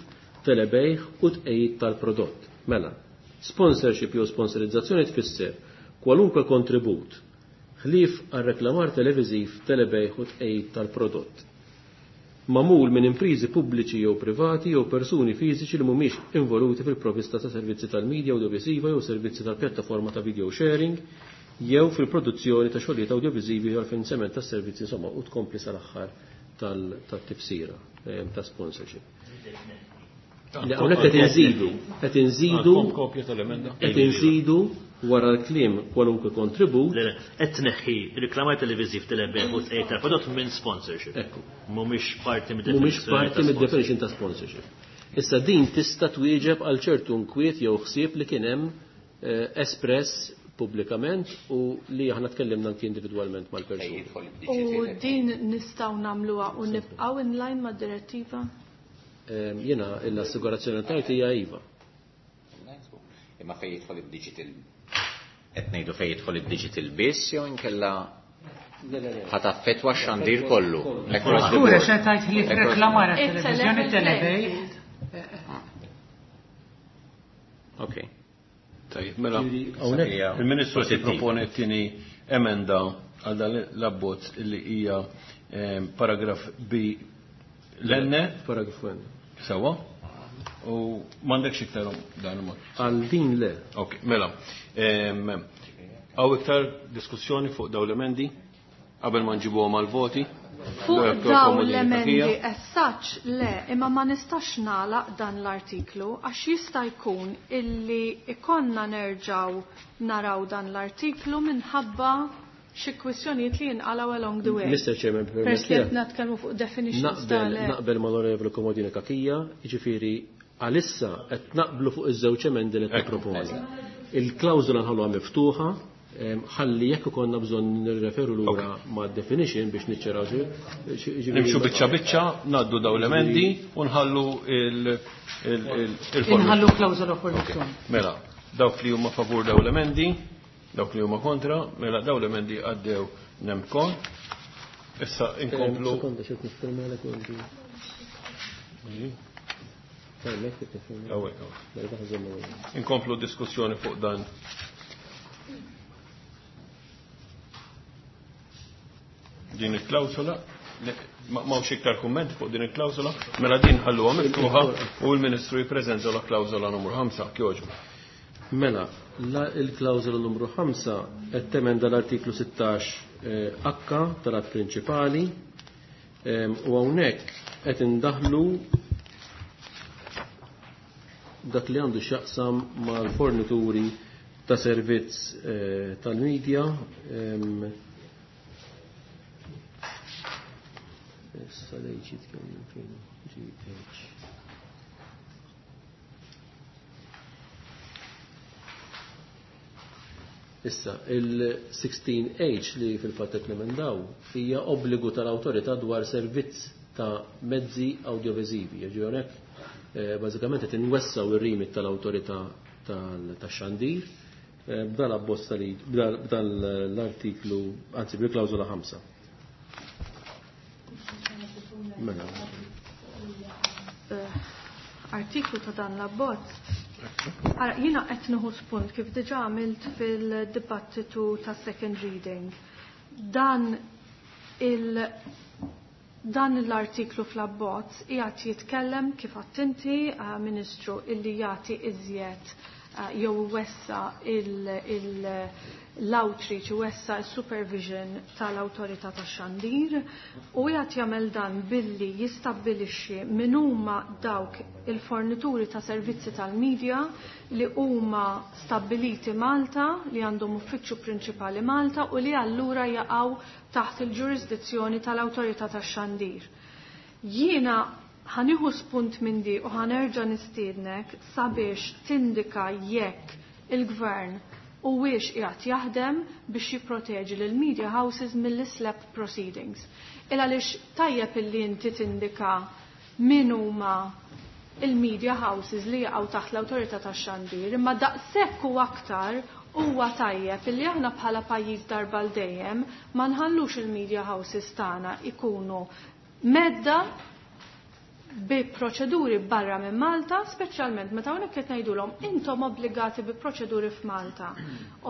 telebejħ u tqejjid tal-prodott. Mela, sponsorship jew sponsorizzazzjoni tfisser kwalunkwe kontribut ħlief għal reklamar televiżiv, telebejħ u tqejjid tal-prodott. magħmul minn imprizi pubbliċi jew privati jew persuni fiżiċi li mhumiex involuti fil-provvista ta' servizzi tal-medja audiovisiva jew servizzi tal-pjattaforma ta' video sharing jew fil-produzzjoni ta' xogħlijiet audiovisivi jew għall-finanzjament tas servizzi, insomma, u tkompli sal-aħħar tat-tifsira ta' sponsorship. Hawnhekk qed inżidu, qed inżidu kopja tal-emenda. Qed inżidu wara l-kliem kwalunkwe kontribut. Le, le, qed tneħħi reklamar televiżiv telebejgħ u tqegħid tal-prodott minn sponsorship. Ekku. Mhumiex parti Mhumiex parti mid-definition ta' sponsorship. Issa din tista' twieġeb għal ċertu nkwiet jew ħsieb li kien hemm espress pubblikament u li aħna tkellimna anki individwalment mal-persuni. U din nistgħu nagħmluha u nibqgħu in line mad-direttiva? Jiena l-assigurazzjoni tajt hija iva. Imma fejn jidħol id-digital, qed ngħidu fejn jidħol id-digital biss jew inkella ħa taffettwa x-xandir kollu. Skura se tajt li reklamar għat-televiżjoni telebej. Ok. Tajjeb, mela il-Ministru se propone t-tieni emenda għal dan l-abbozz li hija paragraf B l-N. Paragraf N. Sewa? U m'għandekx iktar dan il-mod. Għal din le. Ok, mela. Hawn iktar diskussjoni fuq dawn l-emendi qabel ma nġibuhom għal-voti? Fuq dawn l-emendi as such le, imma ma nistax nagħlaq dan l-artiklu għax jista' jkun illi ikonna nerġgħu naraw dan l-artiklu minħabba xi kwistjonijiet li jinqalgħu along the way. Mister Chairman, peress li qed nitkellmu fuq definitions tal naqbel mal-Onorevoli Komodini Kakija, jiġifieri għalissa qed naqblu fuq iż-żewġ emendi li qed nipproponi. Il-klawżola nħalluha miftuħa, ħalli jekk ikollna bżonn nirreferu lura ma' definition biex niċċaraw. Nimxu biċċa biċċa, ngħaddu dawn l-emendi u nħallu il-forma. Inħallu klawżola formazzjoni. Mela, dawk li huma favur dawn l-emendi, dawk li huma kontra, mela dawn l-emendi għaddew nemkon. Issa inkomplu. Sekonda, xed nifferma lek għandi. Inkomplu diskussjoni fuq dan. Din il-klawsola, m'hawnx iktar kummenti fuq din il-klawsola, mela din ħalluha miftuħa u l-Ministru jippreżenta la klawsola numru ħamsa, kjoġbu. Mela, il-klawsola numru ħamsa qed temenda l-artiklu sittax H tal-att prinċipali u hawnhekk qed indaħlu dak li għandu x'jaqsam mal-fornituri ta' servizz tal-medja. Issa lejn jitkellem fejn G H. Issa, il-sixteen H li fil-fatt qed nemendaw hija obbligu tal-awtorità dwar servizz ta' mezzi audiovisivi. Jiġifieri hawnhekk bażikament qed inwessaw ir-rimit tal-awtorità tax-xandir b'dan abbozz b'dan l-artiklu, anzi bil-klawżola ħamsa. Mela. Artiklu ta' dan l-abbozz. Ara, jiena qed nieħu spunt kif diġà għamilt fil-dibattitu ta' second reading. Dan il dan l-artiklu fl-abbozz qiegħed jitkellem kif għadt inti, Ministru, illi jagħti iżjed jew wessa l-outreach, wessa s-supervision tal-awtorità tax-xandir u qiegħed jagħmel dan billi jistabbilixxi min huma dawk il-fornituri ta' servizzi tal-medja li huma stabbiliti Malta, li għandhom uffiċċju prinċipali Malta u li allura jaqgħu taħt il-ġurisdizzjoni tal-awtorità tax-xandir. Jiena ħanieħu spunt minn di u ħanerġa' nistiednek sabiex tindika jekk il-gvern u wiex qiegħed jaħdem biex jipproteġi lil media houses mill-slap proceedings. Il għaliex tajjeb illi inti tindika min huma il-media houses li jaqgħu taħt l-awtorità tax-xandir, imma daqshekk u aktar huwa tajjeb illi aħna bħala pajjiż darba l dejjem ma nħallux il-media houses tagħna ikunu medda bi proċeduri barra minn Malta, speċjalment meta hawnhekk qed ngħidulhom intom obbligati bi proċeduri f'Malta.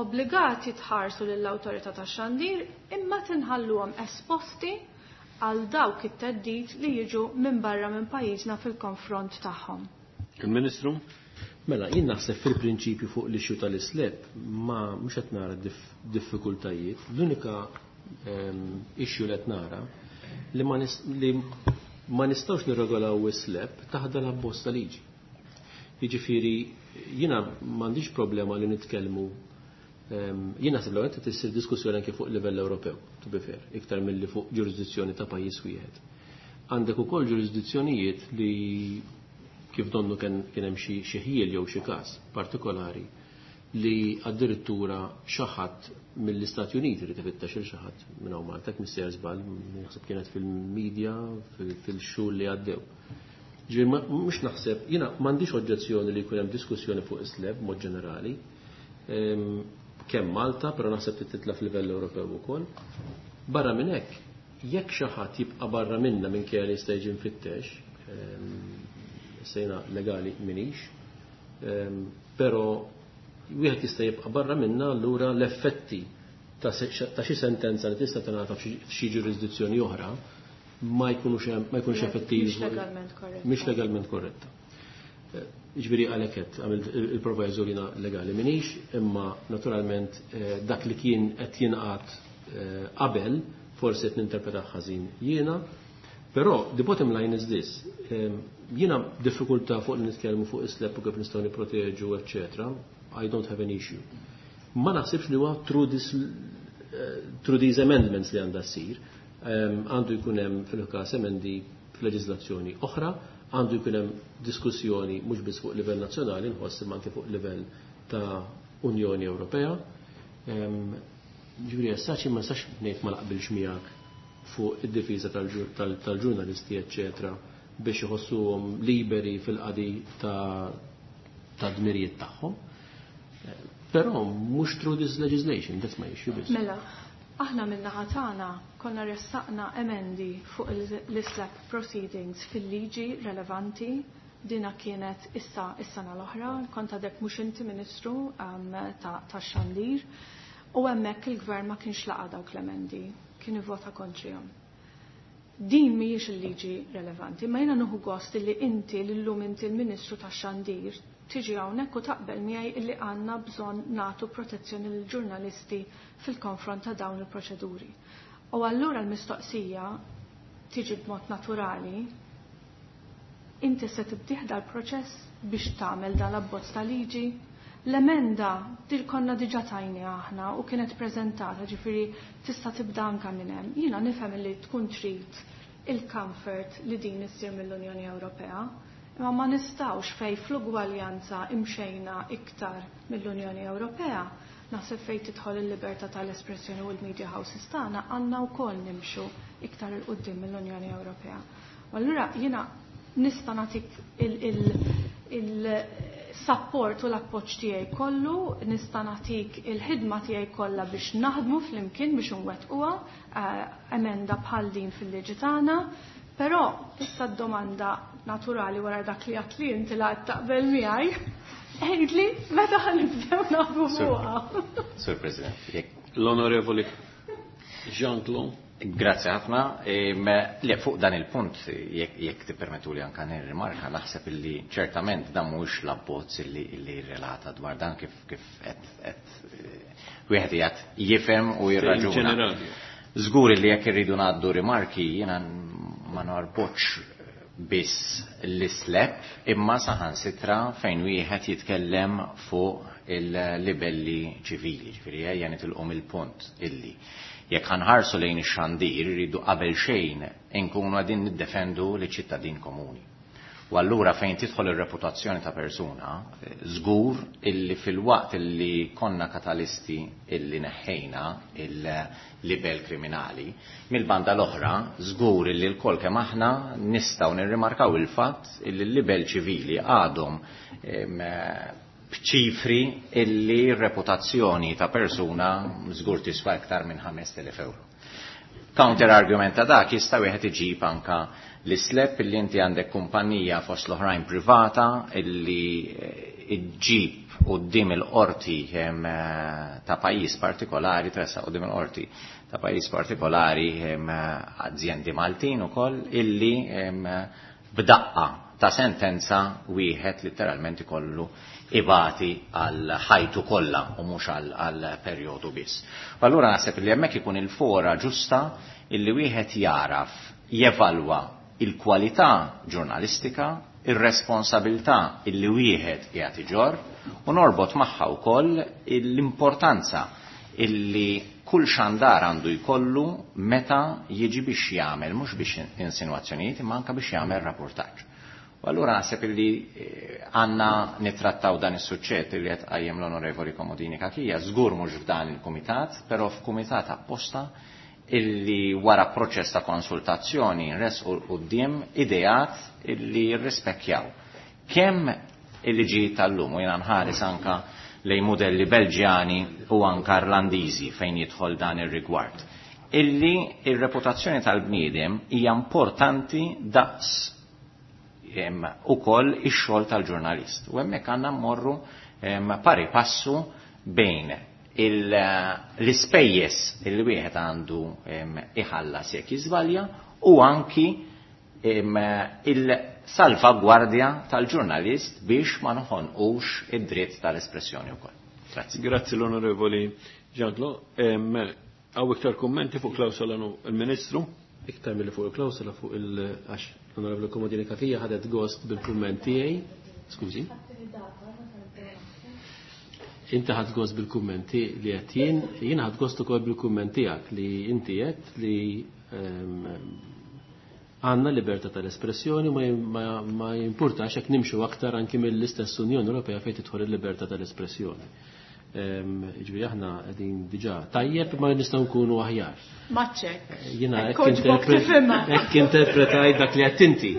Obbligati tħarsu lill-awtorità tax-xandir imma tinħalluhom esposti għal dawk it-theddid li jiġu minn barra minn pajjiżna fil-konfront tagħhom. Il-Ministru? Mela, jien naħseb fil-prinċipju fuq l-issue tal-SLAPP ma mhux qed nara diffikultajiet. L-unika issue li qed nara li ma, li ma nistgħux nirregolaw is-SLAPP taħt l-abbozz ta' liġi. Jiġifieri jiena m'għandix problema li nitkellmu, jien naħseb l qed issir diskussjoni anke fuq livell Ewropew, to be fair, iktar milli fuq ġurisdizzjoni ta' pajjiż wieħed. Għandek ukoll ġurisdizzjonijiet li kif donnu kien hemm xi ħjiel jew xi każ partikolari li addirittura xi ħadd mill-Istati Uniti li tifittex il xi ħadd minn hawn Malta, mister żball, naħseb kienet fil-medja fil-xhur li għaddew. Ġifieri mhux naħseb, jiena m'għandix oġġezzjoni li jkun hemm diskussjoni fuq is-SLAPP mod ġenerali, kemm Malta, però naħseb titla' f'livell Ewropew ukoll. Barra minn hekk, jekk xi ħadd jibqa' barra minna minkejja li jista' jiġi mfittex, sejna legali minix, però wieħed jista' jibqa' barra minna, allura l-effetti ta' xi sentenza li tista' tingħata f'xi ġurisdizzjoni oħra ma jkunux ma jkunux effettivi. Mhix legalment korretta. Mhix legalment korretta. Ġifieri għalhekk qed għamilt il-proviso li legali minix, imma naturalment dak li kien qed jingħad qabel forsi qed ninterpreta ħażin jiena. Però the bottom line is this. Jiena diffikultà fuq li nitkellmu fuq is-SLAPP u kif nistgħu nipproteġu, eċċetera. I don't have an issue. Ma naħsibx li huwa through this through these amendments li għandha ssir. Għandu jkun hemm fil-każ emendi f'leġiżlazzjoni oħra, għandu jkun hemm diskussjoni mhux biss fuq livell nazzjonali, nħoss imma anke fuq livell ta' Unjoni Ewropea. Ġifieri essaċi ma nistax ngħid ma naqbilx miegħek fuq id-difiża tal-ġurnalisti, eċċetera, biex iħossuhom liberi fil-qadi ta' ta' dmirijiet tagħhom. Però mhux through this legislation, that's my issue biss. Mela, aħna min-naħa tagħna konna ressaqna emendi fuq l-SLAPP proceedings fil-liġi relevanti. Dina kienet issa is-sena l-oħra, kont għadek mhux inti Ministru um, ta' tax-xandir, u hemmhekk il-gvern ma kienx laqa dawk l-emendi, kien ivvota kontrihom. Din mhijiex il-liġi relevanti, ma jiena nieħu gost li inti l-lum inti l-Ministru tax-xandir tiġi hawnhekk u taqbel miegħi illi għandna bżonn nagħtu protezzjoni lill-ġurnalisti fil-konfront ta' dawn il-proċeduri. U allura l-mistoqsija tiġi b'mod naturali, inti se tibdih dal-proċess biex tagħmel dal-abbozz ta' liġi? L-emenda dil konna diġà tajni aħna u kienet preżentata, ġifieri tista' tibda anke minn hemm. Jiena nifhem li tkun trid il-comfort li din issir mill-Unjoni Ewropea, imma ma nistgħux fej fl-ugwaljanza imxejna iktar mill-Unjoni Ewropea. Naħseb fejn tidħol il-libertà tal-espressjoni u l-media houses tagħna għandna wkoll nimxu iktar il quddiem mill-Unjoni Ewropea. U allura jiena nista' nagħtik il-support u l-appoġġ tiegħi kollu, nista' nagħtik il-ħidma tiegħi kollha biex naħdmu flimkien biex nwettquha emenda bħal din fil-liġi tagħna, però issa d-domanda naturali wara dak li għedt li inti la taqbel miegħi, għidli meta ħanibdew naħdmu fuqha. Sur President, jekk L-Onorevoli Jean-Claude. Grazie ħafna. Le, fuq dan il-punt, jekk tippermettu li anka nirrimarka, naħseb illi ċertament dan mhuwiex l-abbozz illi illi relata dwar dan kif kif qed qed wieħed qiegħed jifhem u jirraġuna. Żgur li jekk irridu ngħaddu rimarki jiena ma norbotx biss l-SLAPP imma saħansitra fejn wieħed jitkellem fuq il-libelli ċivili, ġifieri ejja nitilqu il-punt illi jekk ħanħarsu lejn ix-xandir irridu qabel xejn inkunu qegħdin niddefendu liċ-ċittadin komuni. U allura fejn tidħol ir-reputazzjoni ta' persuna, żgur illi fil-waqt illi konna katalisti illi neħħejna il-libel kriminali, mill-banda l-oħra żgur illi l-kol kemm aħna nistgħu nirrimarkaw il-fatt illi l-libel ċivili għadhom b'ċifri illi r-reputazzjoni ta' persuna żgur tiswa iktar minn ħamest elef euro. Counter argument ta' dak jista' wieħed iġib anka l-SLAPP illi inti għandek kumpanija fost l-oħrajn privata illi iġġib quddiem il-qorti ta' pajjiż partikolari, tressa quddiem il-qorti ta' pajjiż partikolari, azjendi Maltin ukoll, illi b'daqqa ta' sentenza wieħed letteralment ikollu ibati għal ħajtu kollha u mhux għal perjodu biss. U allura naħseb li hemmhekk ikun il-fora ġusta illi wieħed jaraf jevalwa il-kwalità ġurnalistika, ir-responsabilità illi wieħed qiegħed iġorr u norbot magħha wkoll l-importanza illi kull xandar għandu jkollu meta jiġi biex jagħmel mhux biex insinwazzjonijiet imma anke biex jagħmel rapportaġġ. U allura naħseb illi għandna nittrattaw dan is-suġġett li qed qajjem l-Onorevoli Comodini Cachia, żgur mhux f'dan il-kumitat, però f'kumitat apposta illi wara proċess ta' konsultazzjoni nresqu quddiem ideat illi jirrispekkjaw kemm il-liġijiet tal-lum, u jiena nħares anka lejn modelli Belġjani u anka Irlandiżi fejn jidħol dan ir-rigward. Illi ir-reputazzjoni tal-bniedem hija importanti daqs ukoll ix-xogħol tal-ġurnalist. U hemmhekk għandna mmorru pari passu bejn l-ispejjeż li wieħed għandu iħallas jekk jiżbalja u anki il-salvagwardja tal-ġurnalist biex ma noħonqux id-dritt tal-espressjoni wkoll. Grazzi. Grazzi l-Onorevoli Ġandlo. Hawn iktar kummenti fuq klawsola il-Ministru? Iktar milli fuq il-klawsola fuq il-għax l-Onorevoli Comodini Cachia ħadet gost bil-kumment tiegħi. Skużi. Inti ħadd gost bil-kummenti li qed jien, jien ħadd gost ukoll bil-kumment tiegħek li inti qed li għandna libertà tal-espressjoni ma, ma jimpurtax jekk nimxu aktar anki mill-istess Unjoni Ewropea fejn tidħol il-libertà tal-espressjoni. Ġifieri aħna qegħdin diġà tajjeb ma nistgħu nkunu aħjar. Maċċek. Jiena hekk interpretaj dak li qed inti.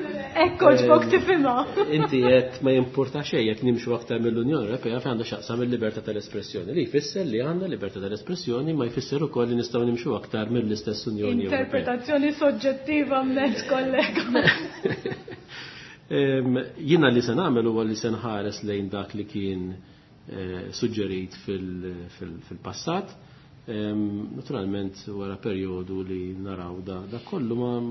Ekk oġbok tifhimha. Inti qed ma jimpurta xejn jekk nimxu aktar mill-Unjoni Ewropea fejn għandha x'aqsam il-libertà tal-espressjoni. Li jfisser li għandna libertà tal-espressjoni ma jfisser ukoll li nistgħu nimxu aktar mill-istess Unjoni Ewropea. Interpretazzjoni soġġettiva mezz kollega. Jiena li se nagħmel huwa li se nħares lejn dak li kien suġġerit fil-passat. Naturalment wara perjodu li naraw da, da kollu ma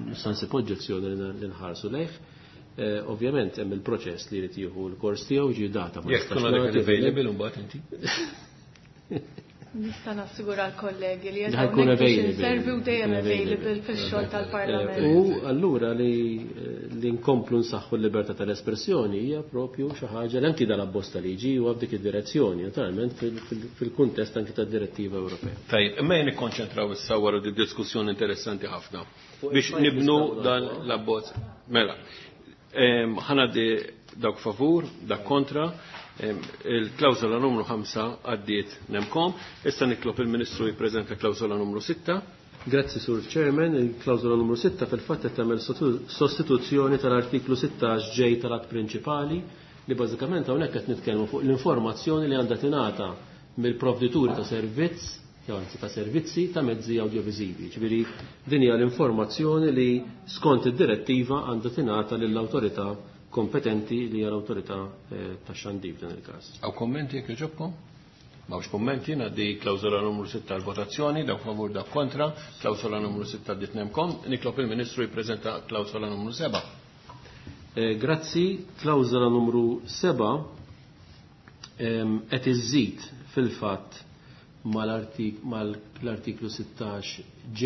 nista' nsib oġġezzjoni li nħarsu lejh. Ovvjament hemm il-proċess li jrid jieħu l-kors tiegħu ġi data ma nistax. Jekk tkun għadek available imbagħad inti. Nista' nassigura l-kollegi li ħajkun available u dejjem available fix-xogħol tal-Parlament. U allura li li nkomplu nsaħħu l-libertà tal-espressjoni hija propju xi ħaġa li anki dal-abbozz ta' liġi huwa f'dik id-direzzjoni, naturalment fil-kuntest anki tad-direttiva Ewropea. Tajjeb, imma jien nikkonċentraw issa wara di diskussjoni interessanti ħafna biex nibnu dan l-abbozz. Mela, ħanaddi dawk favur, dak kontra. Il-klawsola numru ħamsa għaddiet nemkom. Issa nitlob il-Ministru jippreżenta klawsola numru sitta. Grazzi Sur Chairman, il-klawsola numru sitta fil-fatt qed tagħmel sostituzzjoni tal-artiklu sittax ġej tal-att prinċipali li bażikament hawnhekk qed nitkellmu fuq l-informazzjoni li għandha tingħata mill-provdituri ta' servizz, jew anzi ta' servizzi ta' mezzi awdjoviżivi. Ġifieri din hija l-informazzjoni li skont id-direttiva għandha tingħata lill-awtorità kompetenti li hija l-awtorità tax-xandir f'dan il-każ. Hawn kommenti jekk jogħġobkom? M'hawnx kummenti, ngħaddi klawsola numru sitta għall-votazzjoni, dawk favur dak kontra, klawsola numru sitta għaddiet nemkom. Nitlob il-Ministru jippreżenta klawsola numru seba'. Grazzi, klawsola numru seba' qed iżżid fil-fatt mal-artiklu sittax J,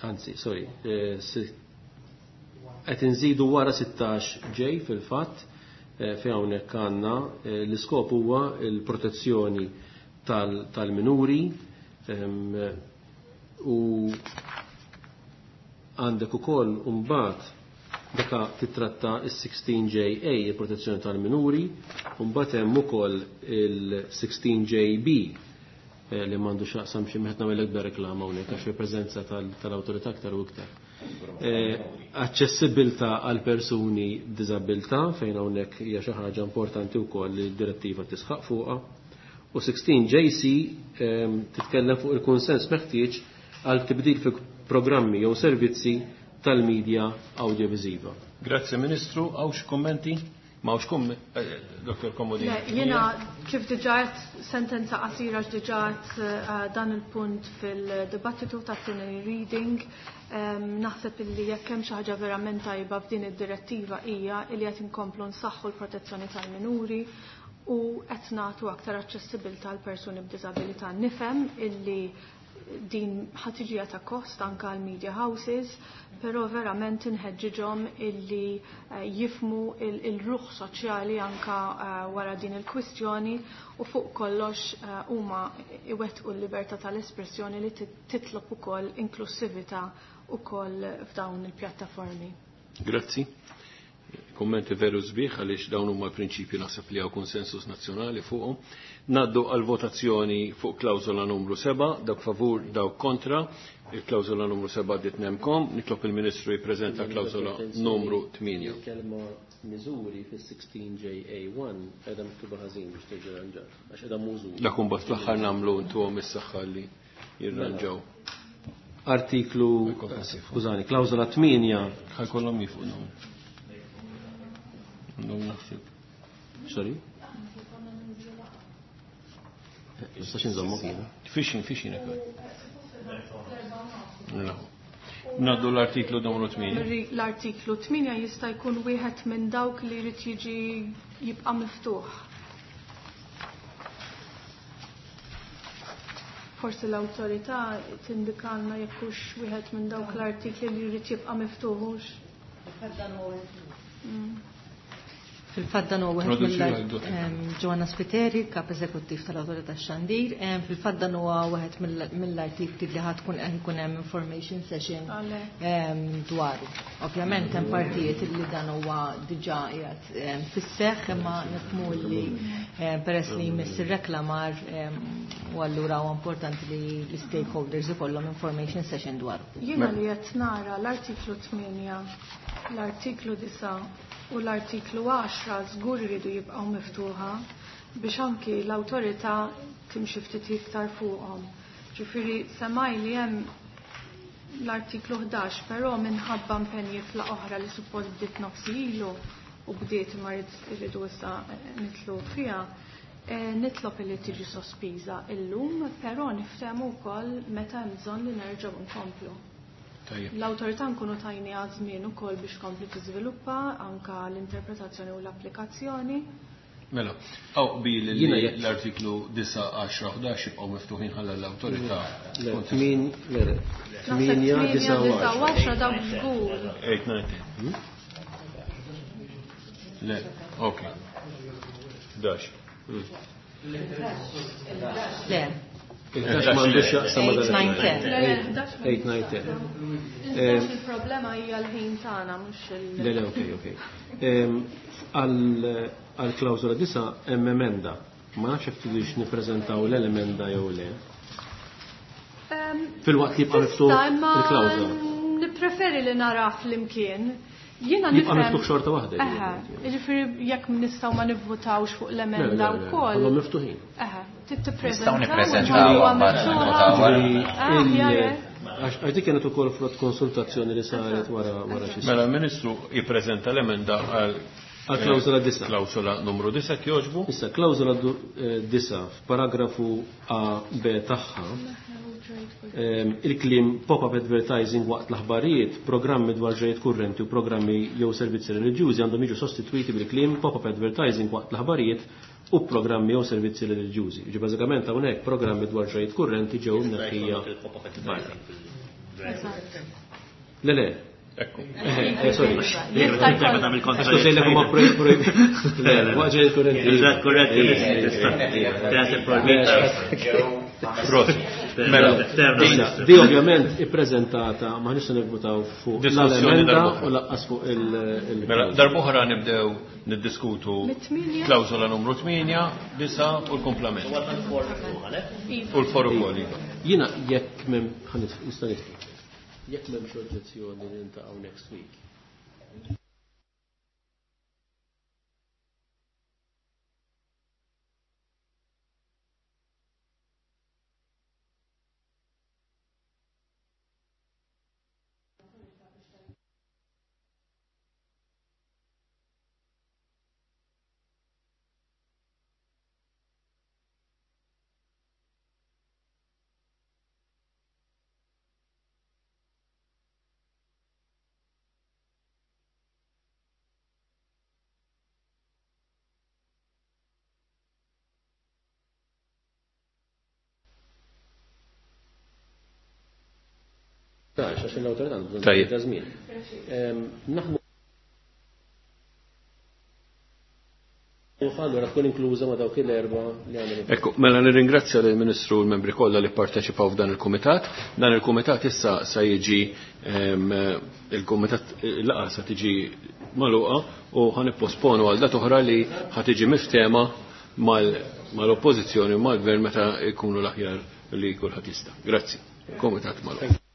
anzi, sorry, qed inżidu wara sittax J fil-fatt fejn hawnhekk għandna l-iskop huwa l-protezzjoni tal-minuri u għandek ukoll imbagħad daka titratta is-sixteen J A, il-protezzjoni tal-minuri, u mbagħad hemm ukoll il-sixteen J B li m'għandu x'aqsam xi meħed nagħmel ikbar reklama hawnhekk għax fil-preżenza tal-awtorità aktar u iktar. Aċċessibilità għal persuni b'diżabilità fejn hawnhekk hija xi ħaġa importanti wkoll li d-direttiva tisħaq fuqha. U sixteen J C titkellem fuq il-kunsens meħtieġ għal tibdil fi programmi jew servizzi tal-medja audiovisiva. Grazie Ministru, hawn xi kummenti? Ma hux kum, Doktor Comodini? Jiena kif diġà sentenza qasira x'diġà dan il-punt fil-dibattitu tat-tieni reading, naħseb illi jekk hemm xi ħaġa verament tajba f'din id-direttiva hija li qed inkomplu nsaħħu l-protezzjoni tal-minuri u qed nagħtu aktar aċċessibilità għal persuni b'diżabilità. Nifhem illi din ħatiġija ta' kost anka għal media houses, però verament inħeġġiġhom illi jifmu il-ruħ soċjali anka wara din il-kwistjoni u fuq kollox huma iwettqu l-libertà tal-espressjoni li titlob ukoll inklusività ukoll f'dawn il-pjattaformi. Grazzi. Kommenti veru sbieħ għaliex dawn huma l-prinċipji naħseb li hawn konsensus nazzjonali fuqhom. Naddu għal votazzjoni fuq klawżola numru seba', dawk favur, dawk kontra. Il-klawżola numru seba' għaddiet nemkom. Nitlob il-Ministru jippreżenta klawżola numru tmienja. Il-kelma miżuri fis-sixteen J A one qiegħda miktuba ħażin biex terġa' ranġar, għax qiegħda mużuri. Dak imbagħad fl-aħħar nagħmlu ntuhom is-saħħa li jirranġaw. Artiklu, skużani, klawżola tmienja. Ħajkollhom jifqu. Għandhom naħseb. Sorry? Nistax inżommu kienu. Fixin, fixin ekk. Naddu l-artiklu numru tmienja. L-artiklu tmienja jista' jkun wieħed minn dawk li jrid jiġi jibqa' miftuħ. Forsi l-awtorità tindikalna jekk hux wieħed minn dawk l-artikli li jrid jibqa' miftuħ hux. Fil-fatt dan huwa wieħed mill Joanna Spiteri, kap eżekuttiv tal-Awtorità Xandir, fil-fatt dan huwa wieħed mill-artikli li ħad tkun qed ikun hemm information session dwaru. Ovvjament hemm partijiet li dan huwa diġà qiegħed fis-seħħ, imma nifhmu li peress li jmiss ir-reklamar u allura huwa importanti li l-stakeholders ikollhom information session dwaru. Jiena li qed nara l-artiklu tmienja, l-artiklu disa' u l-artiklu għaxra żgur iridu jibqgħu miftuħa biex anki l-awtorità timxi ftit iktar fuqhom. Ġifieri semaj li hemm l-artiklu ħdax, però minħabba impenji fla oħra li suppost bdiet nofsi ilu u bdiet ma rridu issa nitlu fiha, nitlob li tiġi sospiża illum, però niftehmu wkoll meta hemm bżonn li nerġgħu nkomplu. L-awtorità nkunu tajni żmien ukoll biex kompli tiżviluppa anka l-interpretazzjoni u l-applikazzjoni. Mela, għaw bil l-artiklu disa' għaxra ħdax jibqgħu miftuħin ħalla l-awtorità. Tmienja disa' u għaxra dawk żgur. Eight, nine, ten. Le, ok. Ħdax. Le. Il-ħdax m'għandux x'jaqsam ma' dan. eight, nine, ten. Il-problema hija l-ħin tagħna mhux il. Le, le, okej, okej. Għal klawżola disa' hemm emenda. Ma nafx jekk tridux nippreżentaw l-emenda jew le. Filwaqt li jibqa' miftuħ il-klawżola. Nippreferi li nara flimkien. Jiena jibqa' miftuħ xorta waħda. Eħe, jiġifieri jekk nistgħu ma nivvutawx fuq l-emenda wkoll. Kollhom miftuħin. Eħe, Nistgħu nippreżentaw Għax dik kienet ukoll frott konsultazzjoni li saret wara wara xi. Mela l-Ministru jippreżenta l-emenda għal għal klawżola disa'. Klawżola numru disa' jogħġbu. Issa klawżola disa' f'paragrafu A B tagħha il-kliem pop-up advertising waqt l-aħbarijiet, programmi dwar ġrajiet kurrenti u programmi jew servizzi reliġjużi għandhom jiġu sostitwiti bil-kliem pop-up advertising waqt l-aħbarijiet u programmi jew servizzi reliġjużi. Ġi bażikament hawnhekk programmi dwar ġrajiet kurrenti ġew mneħħija barra. Le le. Ekku. Sorry. Għax sejlek huma projbi. Le le, waqt ġrajiet kurrenti. Ġrajiet kurrenti. Mela, di ovvjament ippreżentata ma nistgħu nivvutaw fuq l-emenda u laqqas fuq il- Mela, darb'oħra nibdew niddiskutu klawżola numru tmienja, disa' u l-komplement. U l-for ukoll. Jiena jekk m'hemm nista' nitfi. Jekk m'hemmx oġġezzjoni niltaqgħu next week. Għax l-awtorità għandu Tajjeb. bżonn ta' żmien. Ehm, Naħdmu allura tkun inkluża ma' dawk il-erba' li għandna. Ekku, mela nirringrazzja lill-Ministru u l-membri kollha li pparteċipaw f'dan il-kumitat. Dan il-kumitat issa sa jiġi ehm, il-kumitat il-laqgħa sa tiġi magħluqa u ħa nipposponu għal data oħra li ħa tiġi miftema mal-oppożizzjoni u mal-gvern meta jkunu l-aħjar li kulħadd jista'. Grazzi. Kumitat magħluq.